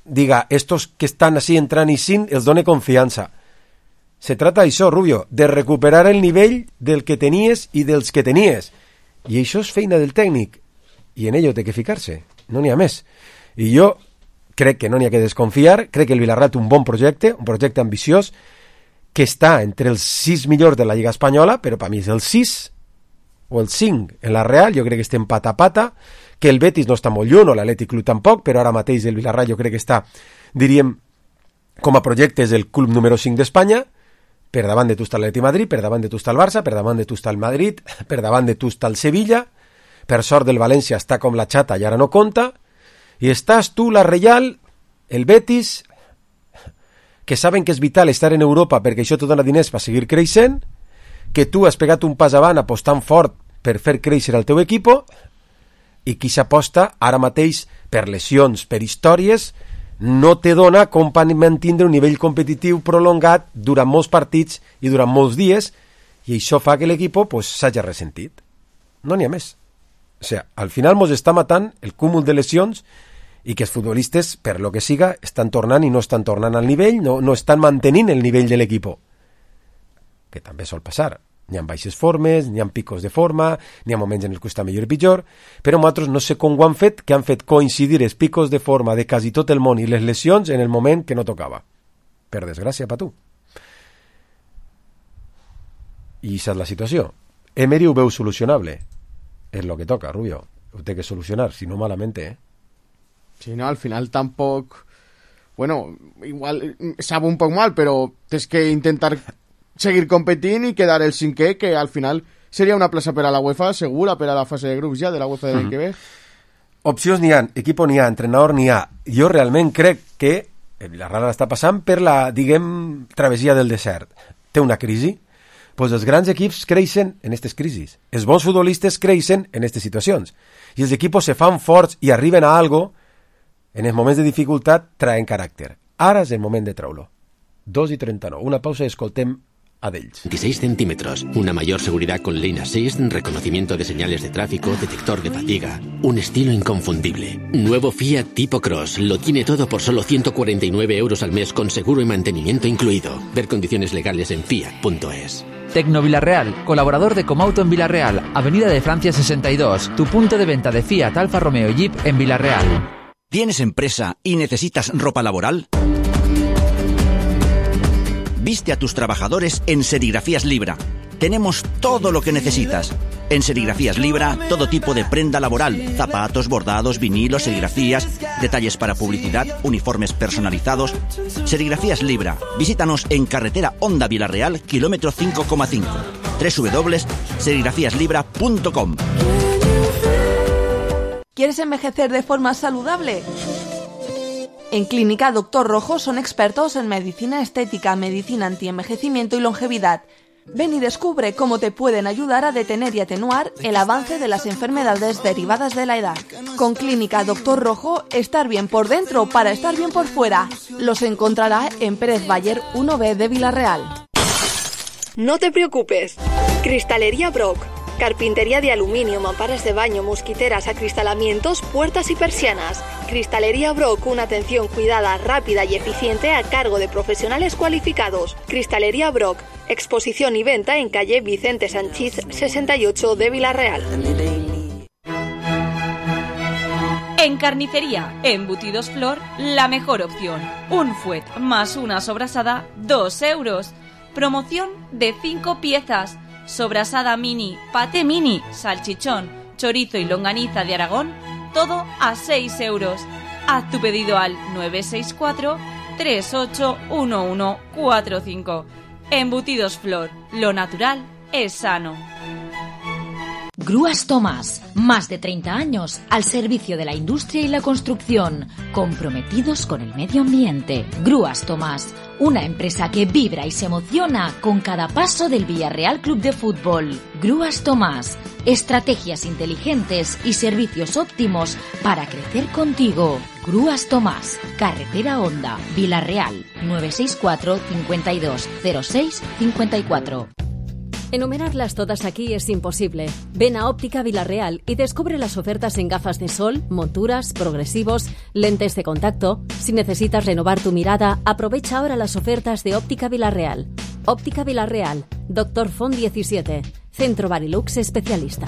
diga, estos que estan así entrant i sin, els done confiança. Se trata d'això, Rubio, de recuperar el nivell del que tenies i dels que tenies. I això és feina del tècnic. I en ello té que ficar-se. No n'hi ha més. I jo crec que no n'hi ha que desconfiar, crec que el Villarreal té un bon projecte, un projecte ambiciós, que està entre els 6 millors de la Lliga Espanyola, però per mi és el 6 o el 5 en la Real, jo crec que estem pata a pata, que el Betis no està molt lluny, o l'Atlètic Club tampoc, però ara mateix el Villarreal jo crec que està, diríem, com a projecte és el club número 5 d'Espanya. Per davant de tu està l'Atlètic Madrid, per davant de tu està el Barça, per davant de tu està el Madrid, per davant de tu està el Sevilla, per sort del València està com la xata i ara no compta, i estàs tu, la Reial, el Betis, que saben que és vital estar en Europa perquè això te dona diners per seguir creixent, que tu has pegat un pas avant apostant fort per fer créixer el teu equip, i qui s'aposta ara mateix per lesions, per històries, no te dona com per mantindre un nivell competitiu prolongat durant molts partits i durant molts dies, i això fa que l'equip pues, s'hagi ressentit. No n'hi ha més. O sigui, al final mos està matant el cúmul de lesions i que els futbolistes, per lo que siga, estan tornant i no estan tornant al nivell, no estan mantenint el nivell de l'equip. Que també sol passar. N'hi ha baixes formes, n'hi ha picos de forma, n'hi ha moments en els que està millor i pitjor, però nosaltres no sé com ho han fet, que han fet coincidir els picos de forma de quasi tot el món i les lesions en el moment que no tocava. Per desgràcia per tu. I aquesta és la situació. Emery ho veu solucionable. És lo que toca, Rubio. Ho té que solucionar, si no malamente, Sí, no, al final tampoc... Bueno, igual sabe un poc mal, però tens que intentar seguir competint i quedar el cinquè, que al final seria una plaça per a la UEFA segura, per a la fase de grups ja de la UEFA de l'any que ve. Opcions n'hi ha, equip n'hi ha, entrenador n'hi ha. Jo realment crec que el Villarreal està passant per la, diguem, travessia del desert. Té una crisi. Pues els grans equips creixen en aquestes crisis. Els bons futbolistes creixen en aquestes situacions. I els equips se fan forts i arriben a algo, en els moments de dificultat traen caràcter. Ara és el moment de treure-lo. 2:39. Una pausa i escoltem a d'ells. 26 centímetros, una mayor seguridad con Lane Assist, reconocimiento de señales de tráfico, detector de fatiga, un estilo inconfundible. Nuevo Fiat Tipo Cross, lo tiene todo por solo 149 euros al mes con seguro y mantenimiento incluido. Ver condiciones legales en fiat.es. Tecno Villarreal, colaborador de Comauto en Villarreal, Avenida de Francia 62, tu punto de venta de Fiat, Alfa Romeo y Jeep en Villarreal. ¿Tienes empresa y necesitas ropa laboral? Viste a tus trabajadores en Serigrafías Libra. Tenemos todo lo que necesitas. En Serigrafías Libra, todo tipo de prenda laboral, zapatos, bordados, vinilos, serigrafías, detalles para publicidad, uniformes personalizados. Serigrafías Libra. Visítanos en carretera Honda Villarreal, kilómetro 5,5. www.serigrafíaslibra.com. ¿Quieres envejecer de forma saludable? En Clínica Doctor Rojo son expertos en medicina estética, medicina antienvejecimiento y longevidad. Ven y descubre cómo te pueden ayudar a detener y atenuar el avance de las enfermedades derivadas de la edad. Con Clínica Doctor Rojo, estar bien por dentro para estar bien por fuera. Los encontrará en Pérez Bayer 1B de Villarreal. No te preocupes. Cristalería Brock. Carpintería de aluminio, mamparas de baño, mosquiteras, acristalamientos, puertas y persianas. Cristalería Brock, una atención cuidada, rápida y eficiente a cargo de profesionales cualificados. Cristalería Brock, exposición y venta en calle Vicente Sanchís 68 de Villarreal. En carnicería, embutidos Flor, la mejor opción. Un fuet más una sobrasada, 2 euros. Promoción de 5 piezas. Sobrasada mini, paté mini, salchichón, chorizo y longaniza de Aragón, todo a 6 euros. Haz tu pedido al 964-381145. Embutidos Flor, lo natural es sano. Grúas Tomás, más de 30 años al servicio de la industria y la construcción, comprometidos con el medio ambiente. Grúas Tomás, una empresa que vibra y se emociona con cada paso del Villarreal Club de Fútbol. Grúas Tomás, estrategias inteligentes y servicios óptimos para crecer contigo. Grúas Tomás, Carretera Honda, Villarreal, 964 52 06 54. Enumerarlas todas aquí es imposible. Ven a Óptica Villarreal y descubre las ofertas en gafas de sol, monturas, progresivos, lentes de contacto. Si necesitas renovar tu mirada, aprovecha ahora las ofertas de Óptica Villarreal. Óptica Villarreal, Dr. Font 17, Centro Barilux Especialista.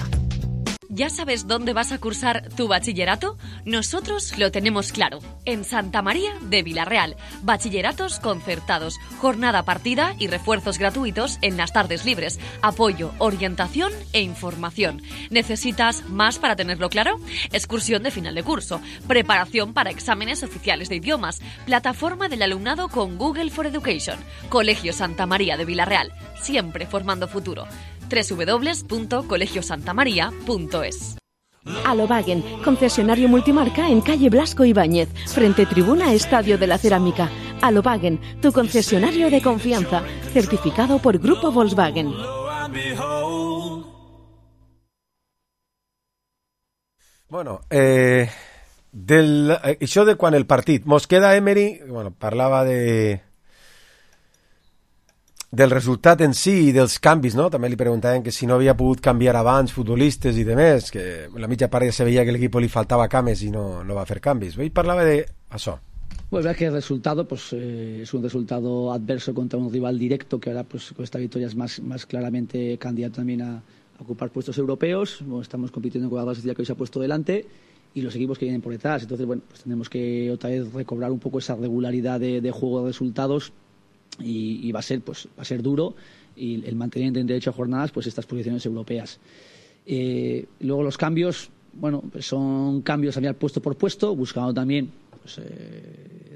¿Ya sabes dónde vas a cursar tu bachillerato? Nosotros lo tenemos claro. En Santa María de Villarreal. Bachilleratos concertados, jornada partida y refuerzos gratuitos en las tardes libres. Apoyo, orientación e información. ¿Necesitas más para tenerlo claro? Excursión de final de curso. Preparación para exámenes oficiales de idiomas. Plataforma del alumnado con Google for Education. Colegio Santa María de Villarreal. Siempre formando futuro. www.colegiosantamaria.es. Alobagen, concesionario multimarca en calle Blasco Ibáñez, frente tribuna Estadio de la Cerámica. Alobagen, tu concesionario de confianza, certificado por Grupo Volkswagen. Bueno, això de quan el partit mos queda Emery, bueno, parlava del resultat en si i dels canvis, no? També li preguntaven que si no havia pogut canviar abans futbolistes i demés, que la mitja part ja se veia que a l'equip li faltava cames i no va fer canvis. Ell parlava d'això. Pues verdad que el resultado es un resultado adverso contra un rival directo que ahora pues con esta victoria es más claramente candidato también a ocupar puestos europeos. Bueno, estamos compitiendo con la base que hoy se ha puesto delante y los equipos que vienen por detrás. Entonces, bueno, pues tenemos que otra vez recobrar un poco esa regularidad de juego de resultados. Y va a ser duro y el mantener en derecho a jornadas pues estas posiciones europeas. Luego los cambios, bueno, pues son cambios también puesto por puesto, buscando también pues,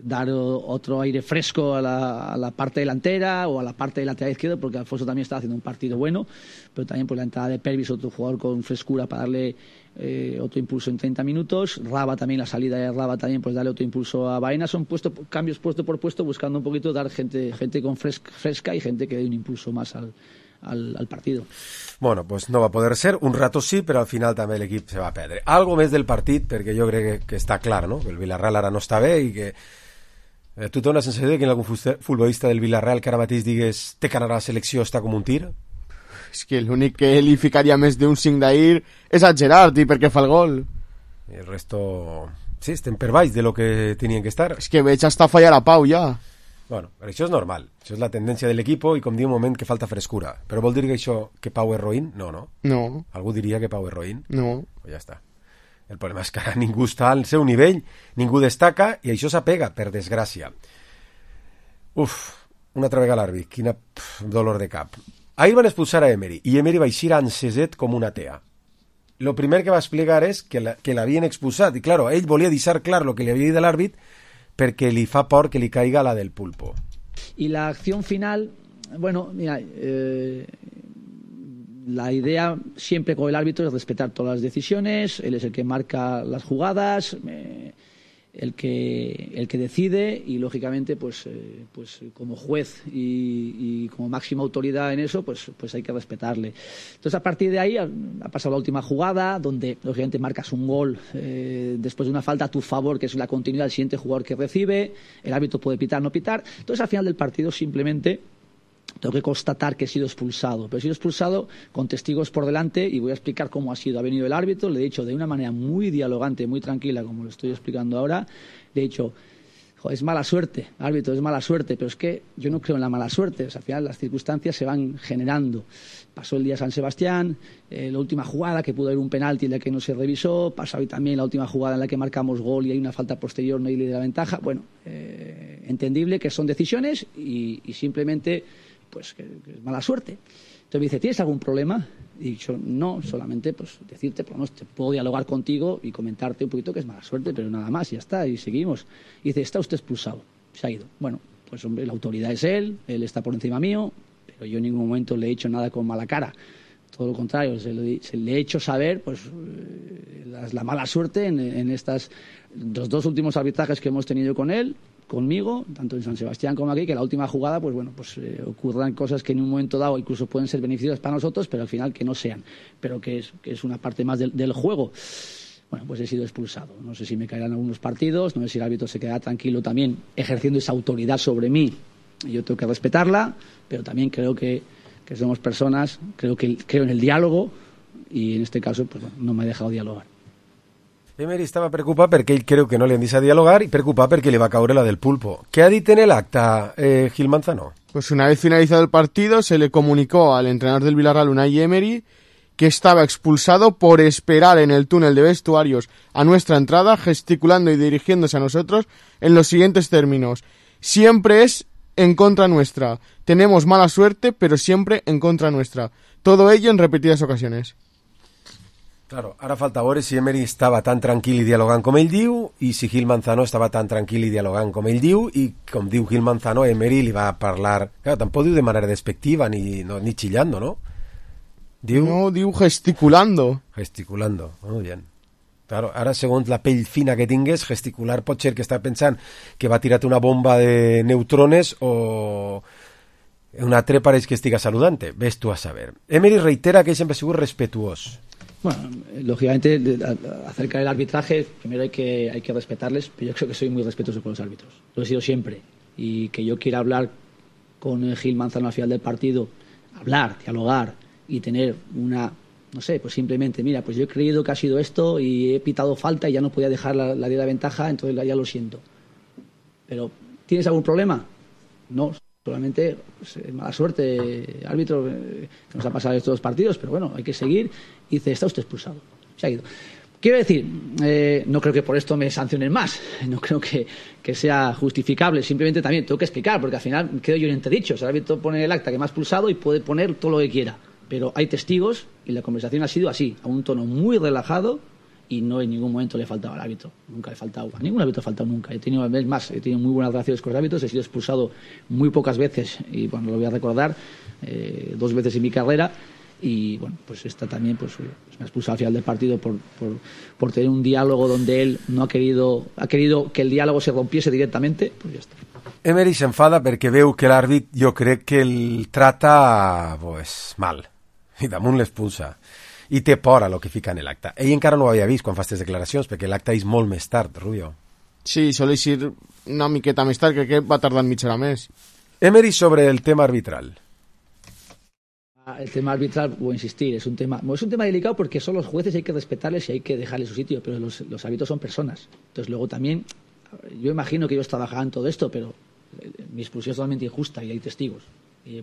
dar otro aire fresco a la parte delantera o a la parte del lateral izquierdo, porque Alfonso también está haciendo un partido bueno, pero también pues la entrada de Pervis, otro jugador con frescura para darle otro impulso en 30 minutos. Raba también, la salida de Raba también, pues darle otro impulso a Baena. Son cambios puesto por puesto, buscando un poquito dar gente con fresca y gente que dé un impulso más al partido. Bueno, pues no va a poder ser, un rato sí, però al final també l'equip se va perdre. Algo més del partit, perquè jo crec que està clar, no? Que el Villarreal ara no està bé i que tu tens la sensació de que algun futbolista del Villarreal que ara mateix digues té que anar a la selecció està com un tir? És que l'únic que li ficaria més d'un 5 d'ahir és a Gerard, i perquè fa el gol. I el resto... Sí, estem per baix de lo que tenien que estar. És que veig hasta fallar a Pau ja. Bueno, però això és normal. Això és la tendència de l'equip i com diu un moment que falta frescura. Però vol dir que això, que Pau és roïn? No, no. No. Algú diria que Pau és roïn? No. Pues ja està. El problema és que ara ningú està al seu nivell, ningú destaca i això s'apega, per desgràcia. Una altra vegada l'àrbit. Quina dolor de cap. Ahir van expulsar a Emery i Emery va eixir anceset com una tea. Lo primer que va explicar és que l'havien expulsat i, claro, ell volia deixar clar lo que li havia dit l'àrbit perquè li fa por que li caiga la del pulpo. Y la acción final, bueno, mira, la idea siempre con el árbitro es respetar todas las decisiones, él es el que marca las jugadas, el que decide y lógicamente pues como juez y como máxima autoridad en eso pues hay que respetarle. Entonces a partir de ahí ha pasado la última jugada donde lógicamente marcas un gol después de una falta a tu favor, que es la continuidad del siguiente jugador que recibe, el árbitro puede pitar, no pitar. Entonces al final del partido simplemente tengo que constatar que he sido expulsado, pero he sido expulsado con testigos por delante y voy a explicar cómo ha sido. Ha venido el árbitro, le he dicho de una manera muy dialogante, muy tranquila, como lo estoy explicando ahora, le he dicho, es mala suerte, árbitro, es mala suerte, pero es que yo no creo en la mala suerte, o sea, al final las circunstancias se van generando. Pasó el día San Sebastián, la última jugada que pudo haber un penalti en la que no se revisó, pasó hoy también la última jugada en la que marcamos gol y hay una falta posterior, no hay ley de la ventaja. Bueno, entendible que son decisiones y simplemente pues que es mala suerte. Entonces me dice, ¿tienes algún problema? Y yo no, solamente pues decirte, pues no, te puedo dialogar contigo y comentarte un poquito que es mala suerte, pero nada más, y ya está, y seguimos. Y dice, está usted expulsado, se ha ido. Bueno, pues hombre, la autoridad es él está por encima mío, pero yo en ningún momento le he hecho nada con mala cara. todo lo contrario, se le he hecho saber pues la mala suerte en los 2 últimos arbitrajes que hemos tenido con él, conmigo, tanto en San Sebastián como aquí, que la última jugada ocurran cosas que en un momento dado incluso pueden ser beneficiosas para nosotros, pero al final que no sean, pero que es una parte más del juego. Bueno, pues he sido expulsado. No sé si me caerán algunos partidos, no sé si el árbitro se quedará tranquilo también ejerciendo esa autoridad sobre mí. Yo tengo que respetarla, pero también creo que somos personas, creo en el diálogo, y en este caso pues no me ha dejado dialogar. Emery estava preocupat perquè ell creu que no li han deixat dialogar i preocupat perquè li va caure la del pulpo. ¿Qué ha dit en el acta Gil Manzano? Pues una vez finalizado el partido se le comunicó al entrenador del Villarreal, Unai Emery, que estaba expulsado por esperar en el túnel de vestuarios a nuestra entrada, gesticulando y dirigiéndose a nosotros en los siguientes términos: siempre es en contra nuestra, tenemos mala suerte, pero siempre en contra nuestra. Todo ello en repetidas ocasiones. Claro, ara falta veure si Emery estava tan tranquil i dialogant com ell diu, i si Gil Manzano estava tan tranquil i dialogant com ell diu, i com diu Gil Manzano, Emery li va parlar... Claro, tampoc diu de manera despectiva ni chillando, ¿no? Diu gesticulando. Gesticulando, muy bien. Claro, ara segons la pell fina que tingues, gesticular pot ser que està pensant que va tirar-te una bomba de neutrones o un altre pareix que estiga saludante. Ves tu a saber. Emery reitera que ell sempre ha sigut respetuós. Bueno, lógicamente, acerca del arbitraje, primero hay que respetarles, pero yo creo que soy muy respetuoso con los árbitros. Lo he sido siempre. Y que yo quiera hablar con Gil Manzano al final del partido, dialogar y tener una, no sé, pues simplemente, mira, pues yo he creído que ha sido esto y he pitado falta y ya no podía dejar la de la ventaja, entonces ya lo siento. Pero, ¿tienes algún problema? No. Solamente pues, mala suerte, árbitro, que nos ha pasado estos 2 partidos, pero bueno, hay que seguir. Y dice, está usted expulsado. Se ha ido. Quiero decir, no creo que por esto me sancionen más, no creo que sea justificable, simplemente también tengo que explicar, porque al final quedo yo en entredicho. El árbitro pone el acta que me ha expulsado y puede poner todo lo que quiera, pero hay testigos y la conversación ha sido así, a un tono muy relajado, y no en ningún momento le he faltado al árbitro, nunca le he faltado, a ningún árbitro he faltado nunca. He tenido muy buenas relaciones con los árbitros, he sido expulsado muy pocas veces, y bueno, lo voy a recordar, 2 veces en mi carrera, y bueno, pues esta también pues me ha expulsado al final del partido por tener un diálogo donde él no ha querido que el diálogo se rompiese directamente, pues ya está. Emery s'enfada perquè veu que l'àrbit, jo crec que el trata pues mal, i damunt l'expulsa. I té por a lo que fica en l'acte. Ell encara no ho havia vist quan fa aquestes declaracions, perquè l'acte és molt més tard, Rubio. Sí, soleix ir una miqueta més tard, crec que va tardar mitja hora més. Emery sobre el tema arbitral. El tema arbitral, voy a insistir, es un tema delicado porque son los jueces, hay que respetarles y hay que dejarles su sitio, pero los árbitros son personas. Entonces luego también, yo imagino que ellos trabajarán todo esto, pero mi expulsión es totalmente injusta y hay testigos.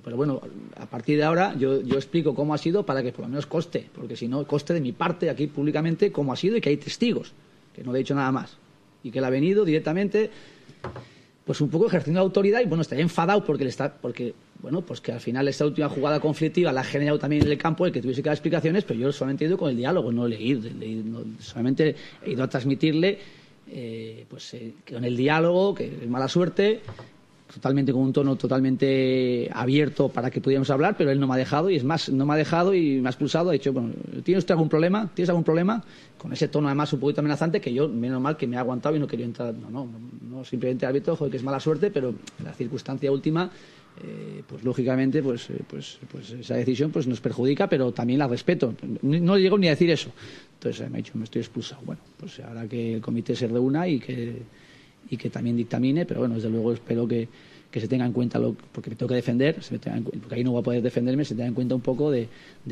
Pero bueno, a partir de ahora yo explico cómo ha sido para que por lo menos conste, porque si no, conste de mi parte aquí públicamente cómo ha sido y que hay testigos, que no le he dicho nada más. Y que él ha venido directamente, pues un poco ejerciendo autoridad, y bueno, estaría enfadado porque bueno, pues que al final esta última jugada conflictiva la ha generado también en el campo, el que tuviese que dar explicaciones, pero yo solamente he ido con el diálogo, no he leído, solamente he ido a transmitirle que con el diálogo, que es mala suerte, totalmente con un tono totalmente abierto para que pudiéramos hablar, pero él no me ha dejado, y es más, no me ha dejado y me ha expulsado. Ha dicho, bueno, ¿tienes usted algún problema? ¿Tienes algún problema? Con ese tono además un poquito amenazante, que yo, menos mal que me ha aguantado y no quería entrar. No, simplemente árbitro, joder, que es mala suerte, pero la circunstancia última, pues lógicamente, pues esa decisión pues nos perjudica, pero también la respeto. No llego ni a decir eso. Entonces me ha dicho, me estoy expulsado. Bueno, pues ahora que el comité se reúna y que también dictamine, pero bueno, desde luego espero que se tenga en cuenta, porque me tengo que defender, porque ahí no voy a poder defenderme, se tenga en cuenta un poco de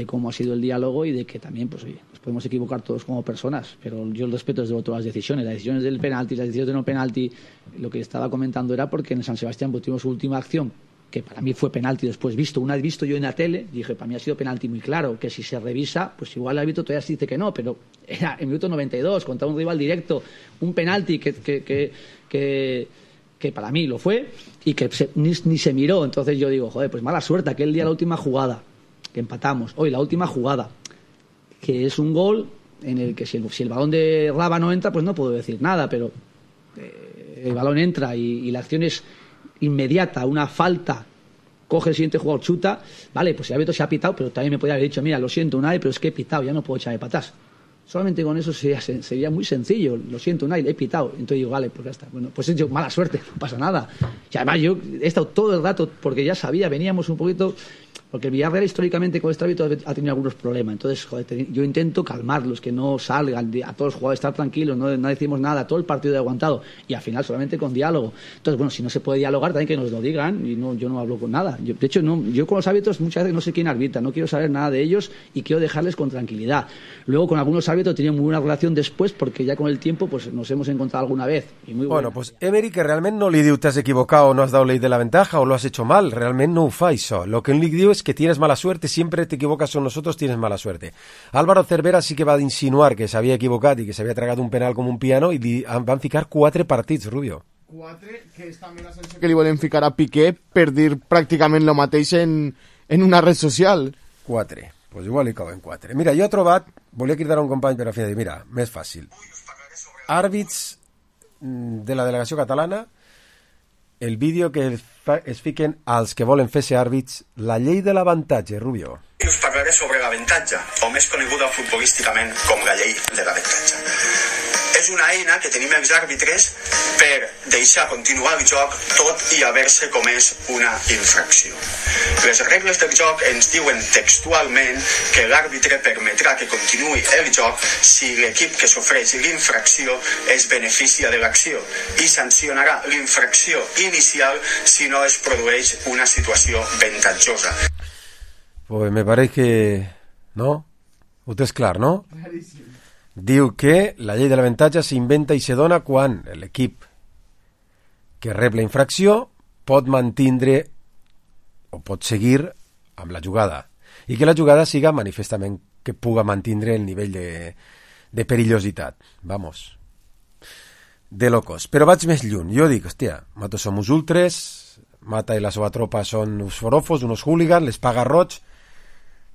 cómo ha sido el diálogo y de que también, pues oye, nos podemos equivocar todos como personas, pero yo el respeto desde luego todas las decisiones del penalti, las decisiones de no penalti. Lo que estaba comentando era porque en el San Sebastián pues, tuvimos su última acción, que para mí fue penalti después visto. Una vez visto yo en la tele, dije, para mí ha sido penalti muy claro, que si se revisa, pues igual el árbitro todavía se dice que no, pero era en minuto 92, contra un rival directo, un penalti que para mí lo fue y que ni se miró. Entonces yo digo, joder, pues mala suerte, aquel día la última jugada, que empatamos, hoy la última jugada, que es un gol en el que si el balón de Raba no entra, pues no puedo decir nada, pero el balón entra y la acción es inmediata, una falta coge el siguiente jugador, chuta, vale, pues el árbitro se ha pitado, pero también me podría haber dicho, mira, lo siento Unai, pero es que he pitado, ya no puedo echarme para atrás. Solamente con eso sería muy sencillo. Lo siento, Unai, he pitado. Entonces digo, vale, pues ya está. Bueno, pues he hecho mala suerte, no pasa nada. Y además yo he estado todo el rato, porque ya sabía, veníamos un poquito... Porque el Villarreal históricamente con este árbitro ha tenido algunos problemas. Entonces, joder, yo intento calmarlos, que no salgan, a todos los jugadores estar tranquilos, no decimos nada, todo el partido he aguantado. Y al final solamente con diálogo. Entonces, bueno, si no se puede dialogar, también que nos lo digan. Y yo no hablo con nada. De hecho, yo con los árbitros muchas veces no sé quién arbitra, no quiero saber nada de ellos y quiero dejarles con tranquilidad. Luego, con algunos árbitros he tenido muy buena relación después, porque ya con el tiempo pues nos hemos encontrado alguna vez. Y muy bueno, pues Emery, que realmente no li diu t'has equivocado o no has dado ley de la ventaja o lo has hecho mal, realmente no ho fa això. Lo que li diu es que tienes mala suerte, siempre te equivocas con nosotros, tienes mala suerte. Álvaro Cervera sí que va a insinuar que s'havia equivocat i que s'havia tragat un penal com un piano i van ficar 4 partits, Rubio. 4, que és també la sensació que li volen ficar a Piqué per dir pràcticament lo mateix en una red social. 4, pues igual li cauen 4. Mira, jo he trobat, volia cridar a un company per a fi de dir, mira, més fàcil. Àrbits de la delegació catalana, el vídeo que es fiquen als que volen fer-se àrbits, la llei de l'avantatge, Rubio. Us parlaré sobre l'avantatge, o més coneguda futbolísticament com la llei de l'avantatge. És una eina que tenim els àrbitres per deixar continuar el joc tot i haver-se comès una infracció. Les regles del joc ens diuen textualment que l'àrbitre permetrà que continuï el joc si l'equip que sofreix l'infracció es beneficia de l'acció i sancionarà l'infracció inicial si no es produeix una situació avantatjosa. Pues me parece que... ¿no? Usted és clar, no? Diu que la llei de l'avantatge s'inventa i se dona quan l'equip que rep la infracció pot mantindre o pot seguir amb la jugada i que la jugada siga manifestament que puga mantindre el nivell de perillositat. Vamos. De locos. Però vaig més lluny. Jo dic, hòstia, Mato som uns ultres, Mata i la seva tropa són uns forofos, unos hooligans, les paga roig.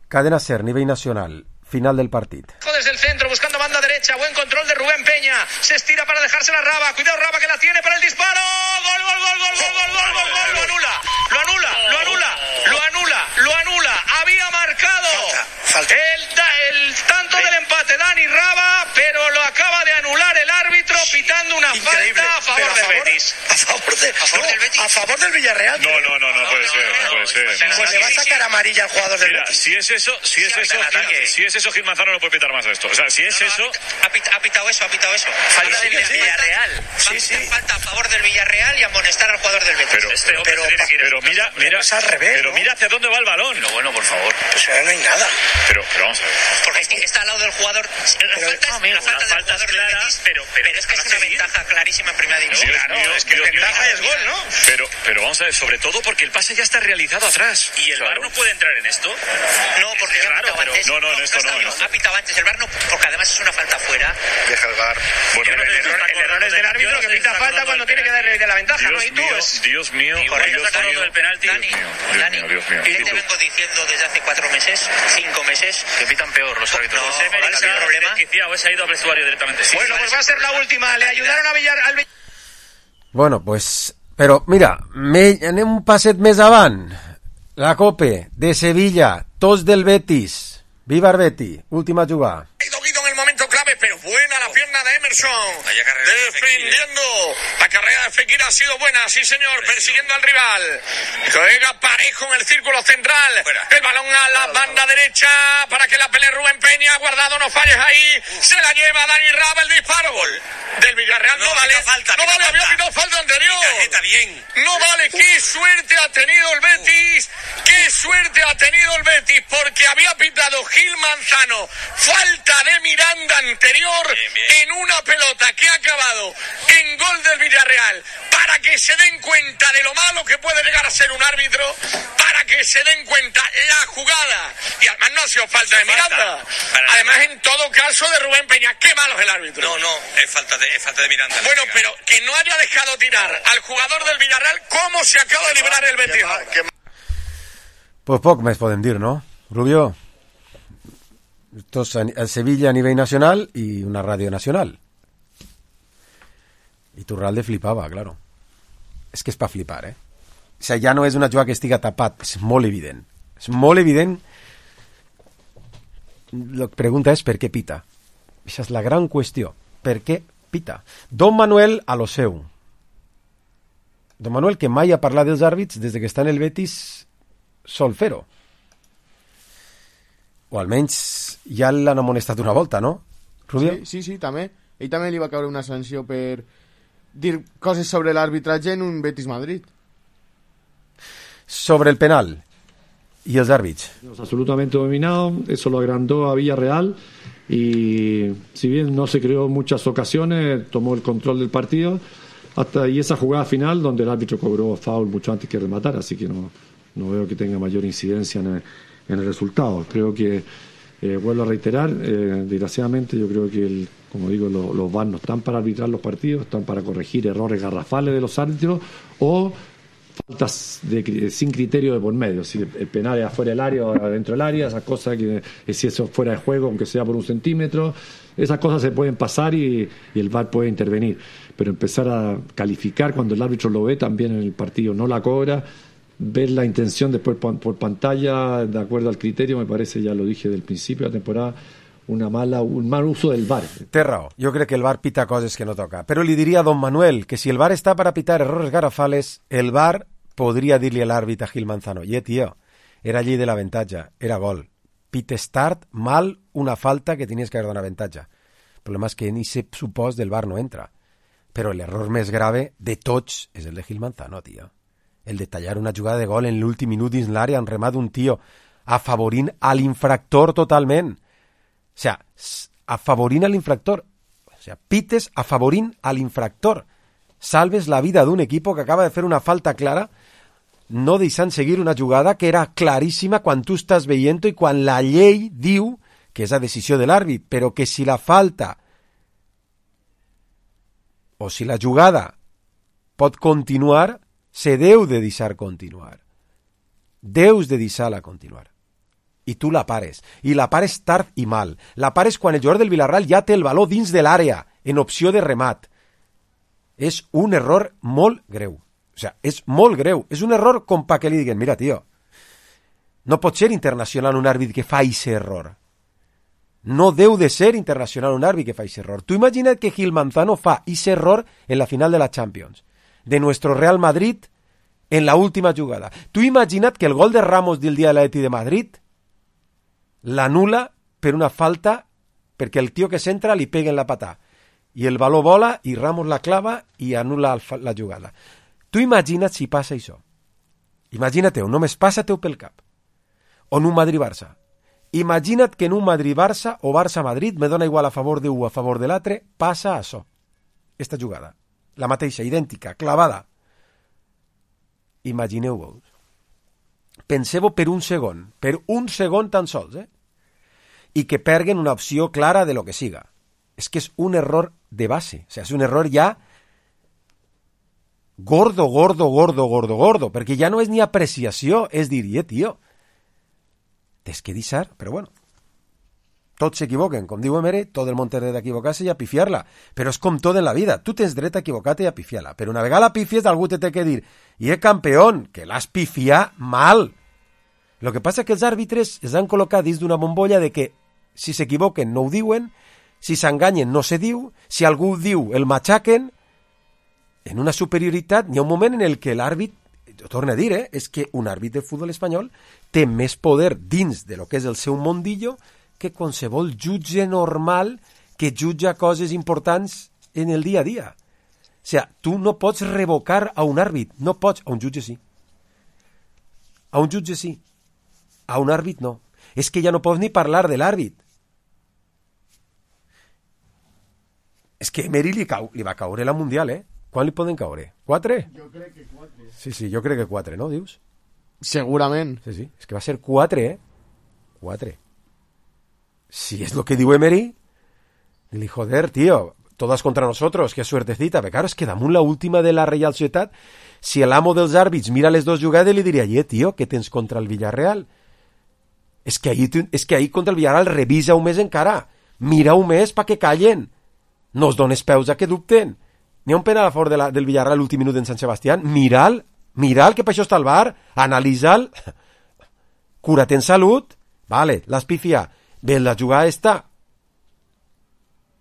Cadena SER, nivell nacional. Final del partido. Desde el centro, buscando banda derecha, buen control de Rubén Peña, se estira para dejársela a Raba, cuidado Raba que la tiene para el disparo, gol, gol, gol, gol, gol, gol, gol, gol, gol, lo anula, lo anula, lo anula, lo anula, lo anula, había marcado el tanto del empate Dani Raba, pero lo acaba de anular el árbitro pitando una falta a favor del Betis. A favor del Villarreal. No puede ser. Pues le va a sacar amarilla al jugador del Betis. Si es eso, Gil Manzano no puede pitar más esto. O sea, si es eso... Ha pitado eso. Falta del Villarreal. Falta a favor del Villarreal y amonestar al jugador del Betis. Pero mira, es al revés. Pero mira hacia dónde va el balón. Pero bueno, por favor. Pues ahora no hay nada. Pero vamos a ver. Porque es que está al lado del jugador. La falta del jugador del Betis, pero es que es una ventaja clarísima en primera división. Claro, es que ventaja es gol, ¿no? Pero vamos a ver, sobre todo porque el pase ya está realizado atrás. ¿Y el VAR no puede entrar en esto? No, porque claro, pero en esto no. Ha pitado antes el VAR, no, porque además es una falta fuera. Deja el VAR. Bueno, el error es del árbitro que pita falta cuando tiene que darle de la ventaja, ¿no? Y tú Dios mío. Del penalti. Dani, ¿qué te vengo diciendo desde hace 4 meses, 5 meses? Que pitan peor los árbitros. No, se ha problema. O se ha ido al vestuario directamente. Bueno, pues va a ser la última. Le ayudaron a al Bueno, pues... Però, mira, anem un passet més avant. La Cope de Sevilla, tots del Betis. Viva el Betis, última jugada. Guido en el momento clave, pero buena la pierna de Emerson. Defendiendo. La carrera de Fekir ha sido buena, sí señor, persiguiendo al rival. Juega parejo en el círculo central. El balón a la banda derecha para que la pelee Rubén Peña. Guardado, no falles ahí. Se la lleva Dani Raba, el disparo. Gol del Villarreal. No vale, había pitado falta anterior. No vale, qué suerte ha tenido el Betis. Qué suerte ha tenido el Betis, porque había pitado Gil Manzano falta de Miranda anterior en una pelota que ha acabado en gol del Villarreal, para que se den cuenta de lo malo que puede llegar a ser un árbitro, para que se den cuenta la jugada, y además no ha sido falta de Miranda, además en todo caso de Rubén Peña. Qué malo es el árbitro. No, es falta de Miranda. Bueno, pero que no haya dejado tirar al jugador del Villarreal, ¿cómo se acaba de librar el Betis? Pues poc més podem dir, no? Rubio, esto es el Sevilla a nivell nacional y una radio nacional. Y Turralde flipaba, claro. Es que es para flipar, ¿eh? sigui, ja no és una jugada que estiga tapat, és molt evident. És molt evident. La pregunta és per què pita. Això és la gran qüestió. Per què pita? Don Manuel a lo seu. Don Manuel, que mai ha parlat dels àrbits des que està en el Betis, sol fer-ho. O almenys ja l'han amonestat una volta, no, Rubio? Sí, també. Ell també li va caure una sanció per dir coses sobre l'arbitratge en un Betis Madrid. Sobre el penal y los árbitros. Absolutamente dominado, eso lo agrandó a Villarreal y si bien no se creó muchas ocasiones, tomó el control del partido y esa jugada final donde el árbitro cobró foul mucho antes que rematar, así que no veo que tenga mayor incidencia en el resultado. Creo que, vuelvo a reiterar, desgraciadamente yo creo que como digo, los VAR no están para arbitrar los partidos, están para corregir errores garrafales de los árbitros o faltas sin criterio de por medio, si el penal es afuera del área o adentro del área, esas cosas que si eso es fuera de juego, aunque sea por 1 centímetro, esas cosas se pueden pasar y el VAR puede intervenir, pero empezar a calificar cuando el árbitro lo ve también en el partido, no la cobra, ver la intención después por pantalla de acuerdo al criterio, me parece, ya lo dije del principio de la temporada, un mal uso del VAR. Té raó, jo crec que el VAR pita coses que no toca, però li diria a Don Manuel que si el VAR està per a pitar errores garrafales, el VAR podria dir-li a l'àrbit a Gil Manzano, tio, era llei de l'avantatge, era gol, pites tard, mal, una falta que tenies que haver donat avantatge. El problema és que ni se supòs del VAR no entra, però l'error més grave de tots és el de Gil Manzano, tio. El de tallar una jugada de gol en l'últim minut dins l'àrea, en remat d'un tio, afavorint a l'infractor totalment. O sea, afavorint a l'infractor. O sea, pites afavorint a l'infractor. Salves la vida d'un equip que acaba de fer una falta clara, no deixant seguir una jugada que era claríssima quan tu estàs veient-ho i quan la llei diu que és la decisió de l'àrbit, però que si la falta o si la jugada pot continuar, se deu de deixar continuar. Deus de deixar-la continuar. I tu la pares. I la pares tard i mal. La pares quan el jugador del Villarreal ja té el baló dins de l'àrea, en opció de remat. És un error molt greu. O sea, és molt greu. És un error com pa que li diguen, mira, tio, no pot ser internacional un àrbit que fa ese error. No deu de ser internacional un àrbit que fa ese error. Tu imagina't que Gil Manzano fa ese error en la final de la Champions, de nuestro Real Madrid en la última jugada. Tu imagina't que el gol de Ramos del dia de l'Atleti de Madrid l'anula per una falta perquè el tio que s'entra li pega en la patà i el baló vola i Ramos la clava i anula la jugada. Tu imagina't si passa això. Imagina't-ho, només passa-t'ho pel cap. O en un Madrid-Barça. Imagina't que en un Madrid-Barça o Barça-Madrid, me dona igual a favor d'un o a favor de l'altre, passa això. Esta jugada. La mateixa, idèntica, clavada. Imagineu-vos. Penseu-ho per un segon tan sols, i que perguen una opció clara de lo que siga. És que és un error de base, o sigui, és un error ja gordo, perquè ja no és ni apreciació, és dir, tio, tens que deixar, però bueno, tots s'equivoquen, com diu Emery, tot el món té dret a equivocar-se i a pifiar-la, però és com tot en la vida, tu tens dret a equivocar-te i a pifiar-la, però una vegada la pifies algú te té que dir, campeón, que l'has pifiat mal. Lo que passa és que els àrbitres es han col·locat dins d'una bombolla de que si s'equivoquen no ho diuen, si s'enganyen no se diu, si algú ho diu el matxaquen, en una superioritat hi ha un moment en el que l'àrbit, jo torno a dir, és que un àrbit de futbol espanyol té més poder dins de lo que és el seu mondillo que qualsevol jutge normal que jutja coses importants en el dia a dia. O sigui, tu no pots revocar a un àrbit, no pots, a un jutge sí. A un jutge sí. A un àrbit no. És que ja no pots ni parlar de l'àrbit. És que Emery li va caure la Mundial, Quan li poden caure? 4? Jo crec que 4. Sí, jo crec que 4, no, dius? Segurament. Sí, és que va ser 4, 4. Si es lo que diu Emery, li joder, tío, todas contra nosotros, qué suertecita. Pero claro, es que damunt la última de la Real Societat, si el amo dels àrbits mira les dos jugades, li diria, tío, què tens contra el Villarreal? És que ahir contra el Villarreal revisa-ho més encara. Mira-ho més pa que callen. No es dones peus a que dubten. N'hi ha un penal a favor del Villarreal l'últim minut en Sant Sebastián. Mira'l Mira'l, que per això està al bar, analitza'l, cura't en salut, vale, l'has pifiat, ve la jugada esta,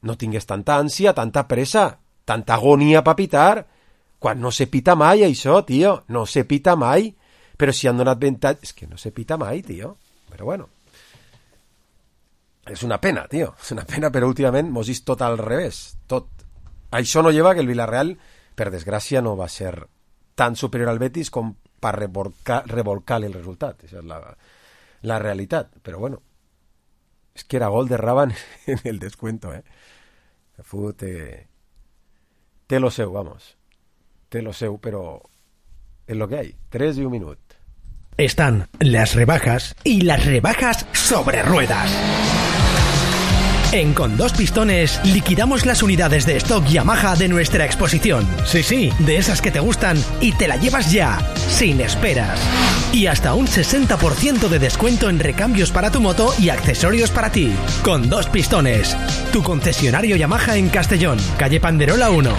no tingues tanta ànsia, tanta pressa, tanta agonia per pitar, quan no se pita mai això, tio, no se pita mai, però si han donat avantatge, és que no se pita mai, tio, però bueno, és una pena, tio, és una pena, però últimament mos vist tot al revés, tot. Això no lleva que el Villarreal, per desgràcia, no va ser tan superior al Betis com per revolcar el resultat, això és la realitat, però bueno, és que era gol de Raban en el descuento, el fútbol té lo seu, vamos, té lo seu, però es lo que hay, 3 y 1 minut. Están las rebajas y las rebajas sobre ruedas. En Con Dos Pistones liquidamos las unidades de stock Yamaha de nuestra exposición. Sí, de esas que te gustan y te la llevas ya, sin esperas. Y hasta un 60% de descuento en recambios para tu moto y accesorios para ti. Con Dos Pistones, tu concesionario Yamaha en Castellón, calle Panderola 1.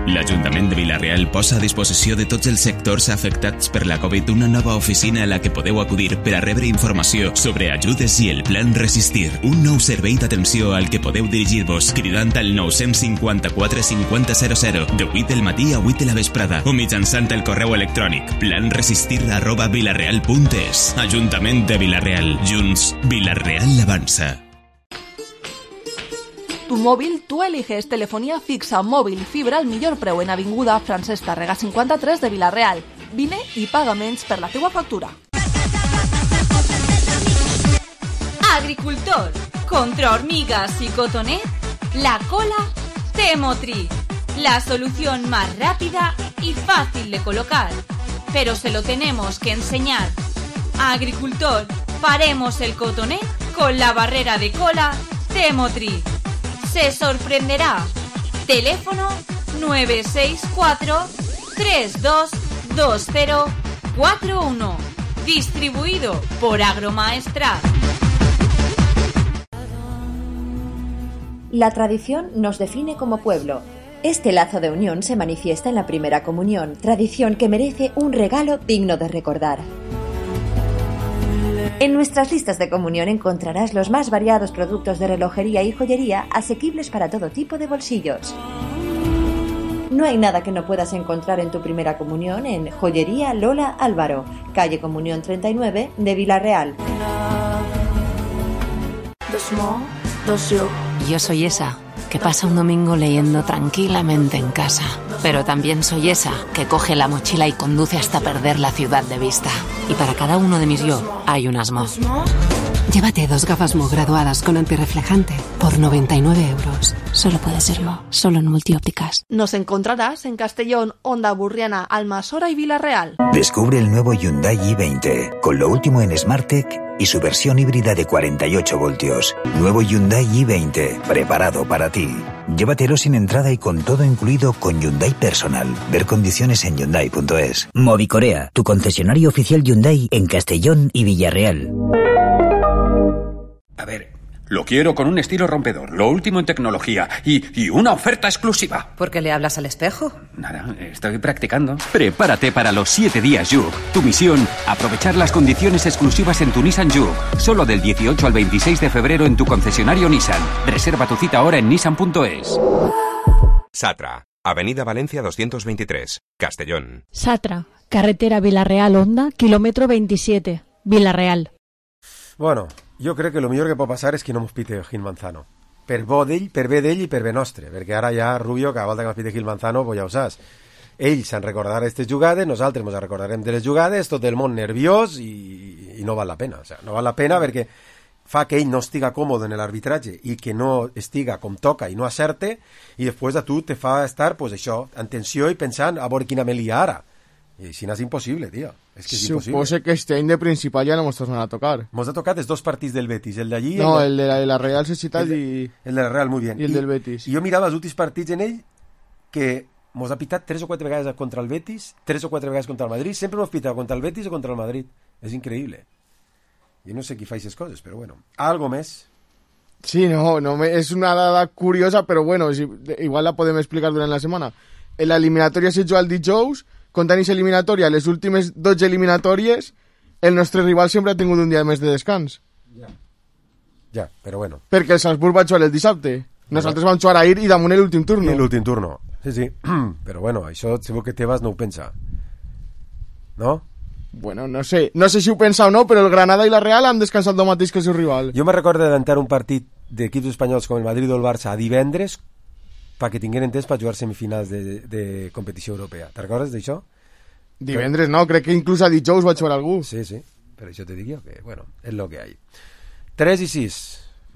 L'Ajuntament de Vila-real posa a disposició de tots els sectors afectats per la Covid una nova oficina a la que podeu acudir per a rebre informació sobre ajudes i el Plan Resistir. Un nou servei d'atenció al que podeu dirigir-vos cridant al 954 5000 de 8 del matí a 8 de la vesprada o mitjançant el correu electrònic planresistir@vilareal.es. Ajuntament de Vila-real. Junts, Vila-real avança. Tu móvil, tú eliges telefonía fixa, móvil, fibra al millor preu en Avinguda Francesc Tàrrega 53 de Vila-real. Vine i paga menys per la teua factura. Agricultor, contra hormigas y cotonet, la cola Temotri. La solución más rápida y fácil de colocar. Pero se lo tenemos que enseñar. Agricultor, paremos el cotonet con la barrera de cola Temotri. Se sorprenderá. Teléfono 964-322041. Distribuido por Agromaestrat. La tradición nos define como pueblo. Este lazo de unión se manifiesta en la primera comunión, tradición que merece un regalo digno de recordar. En nuestras listas de comunión encontrarás los más variados productos de relojería y joyería asequibles para todo tipo de bolsillos. No hay nada que no puedas encontrar en tu primera comunión en Joyería Lola Álvaro, calle Comunión 39 de Vila-real. Yo soy esa que pasa un domingo leyendo tranquilamente en casa. Pero también soy esa que coge la mochila y conduce hasta perder la ciudad de vista. Y para cada uno de mis yo hay un asmo. Llévate 2 gafas Mo graduadas con antirreflejante por 99 euros. Solo puede ser Mo, solo en Multiópticas. Nos encontrarás en Castellón, Onda Burriana, Almasora y Vila-real. Descubre el nuevo Hyundai i20 con lo último en SmartTech y su versión híbrida de 48 voltios. Nuevo Hyundai i20, preparado para ti. Llévatelo sin entrada y con todo incluido con Hyundai Personal. Ver condiciones en Hyundai.es. Movicorea, tu concesionario oficial Hyundai en Castellón y Villarreal. A ver, lo quiero con un estilo rompedor, lo último en tecnología y una oferta exclusiva. ¿Por qué le hablas al espejo? Nada, estoy practicando. Prepárate para los 7 días Juke. Tu misión, aprovechar las condiciones exclusivas en tu Nissan Juke. Solo del 18 al 26 de febrero en tu concesionario Nissan. Reserva tu cita ahora en nissan.es. Satra, Avenida Valencia 223, Castellón. Satra, carretera Vila-real-Onda, kilómetro 27, Vila-real. Bueno, jo crec que el millor que pot passar és que no mos pite Gil Manzano. Per bé d'ell i per bé nostre, perquè ara ja Rubio, cada volta que mos pite Gil Manzano, pues ja ho saps. Ells se'n recordaran aquestes jugades, nosaltres ens recordarem de les jugades, tot el món nerviós i no val la pena. O sea, no val la pena perquè fa que ell no estiga còmode en l'arbitratge i que no estiga com toca i no acerte, i després a tu te fa estar, pues això, en tensió i pensant a veure quina me lia ara. I si no és impossible, tio. És que és impossible. Supose que este any de principal ja no mos tornen a tocar. Mos ha tocat els 2 partits del Betis, el d'allí... No, el de la Real Societat y... El de la Real, muy bien. I el del Betis. I jo mirava els últims partits en ell que mos ha pitat 3 o 4 vegades contra el Betis, 3 o 4 vegades contra el Madrid, sempre mos pita contra el Betis o contra el Madrid. És increïble. Jo no sé qui fa aquestes coses, però bueno. Algo més? Sí, no, és una dada curiosa, però bueno, igual la podem explicar durant la setmana. l'eliminatòria se juga el dijous, comptant aquesta eliminatòria, les últimes 12 eliminatòries, el nostre rival sempre ha tingut un dia més de descans. Ja, però bueno. Perquè el Salzburg va jugar el dissabte. Nosaltres vam jugar ahir i damunt l'últim turno. L'últim turno, sí. Però bueno, això segur que Tebas no ho pensa. No? Bueno, no sé si ho pensa o no, però el Granada i la Real han descansat el mateix que el seu rival. Jo me recordo d'entrar un partit d'equips espanyols com el Madrid o el Barça a divendres perquè tingueren temps per jugar semifinals de competició europea. Te'n recordes d'això? Divendres no, crec que inclús a dijous va jugar algú. Sí, per això te dic jo que, bueno, és lo que hay. 3 i 6.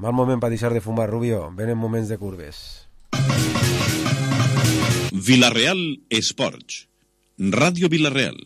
Mal moment per deixar de fumar, Rubio. Venen moments de curves. Villarreal Esports. Ràdio Villarreal.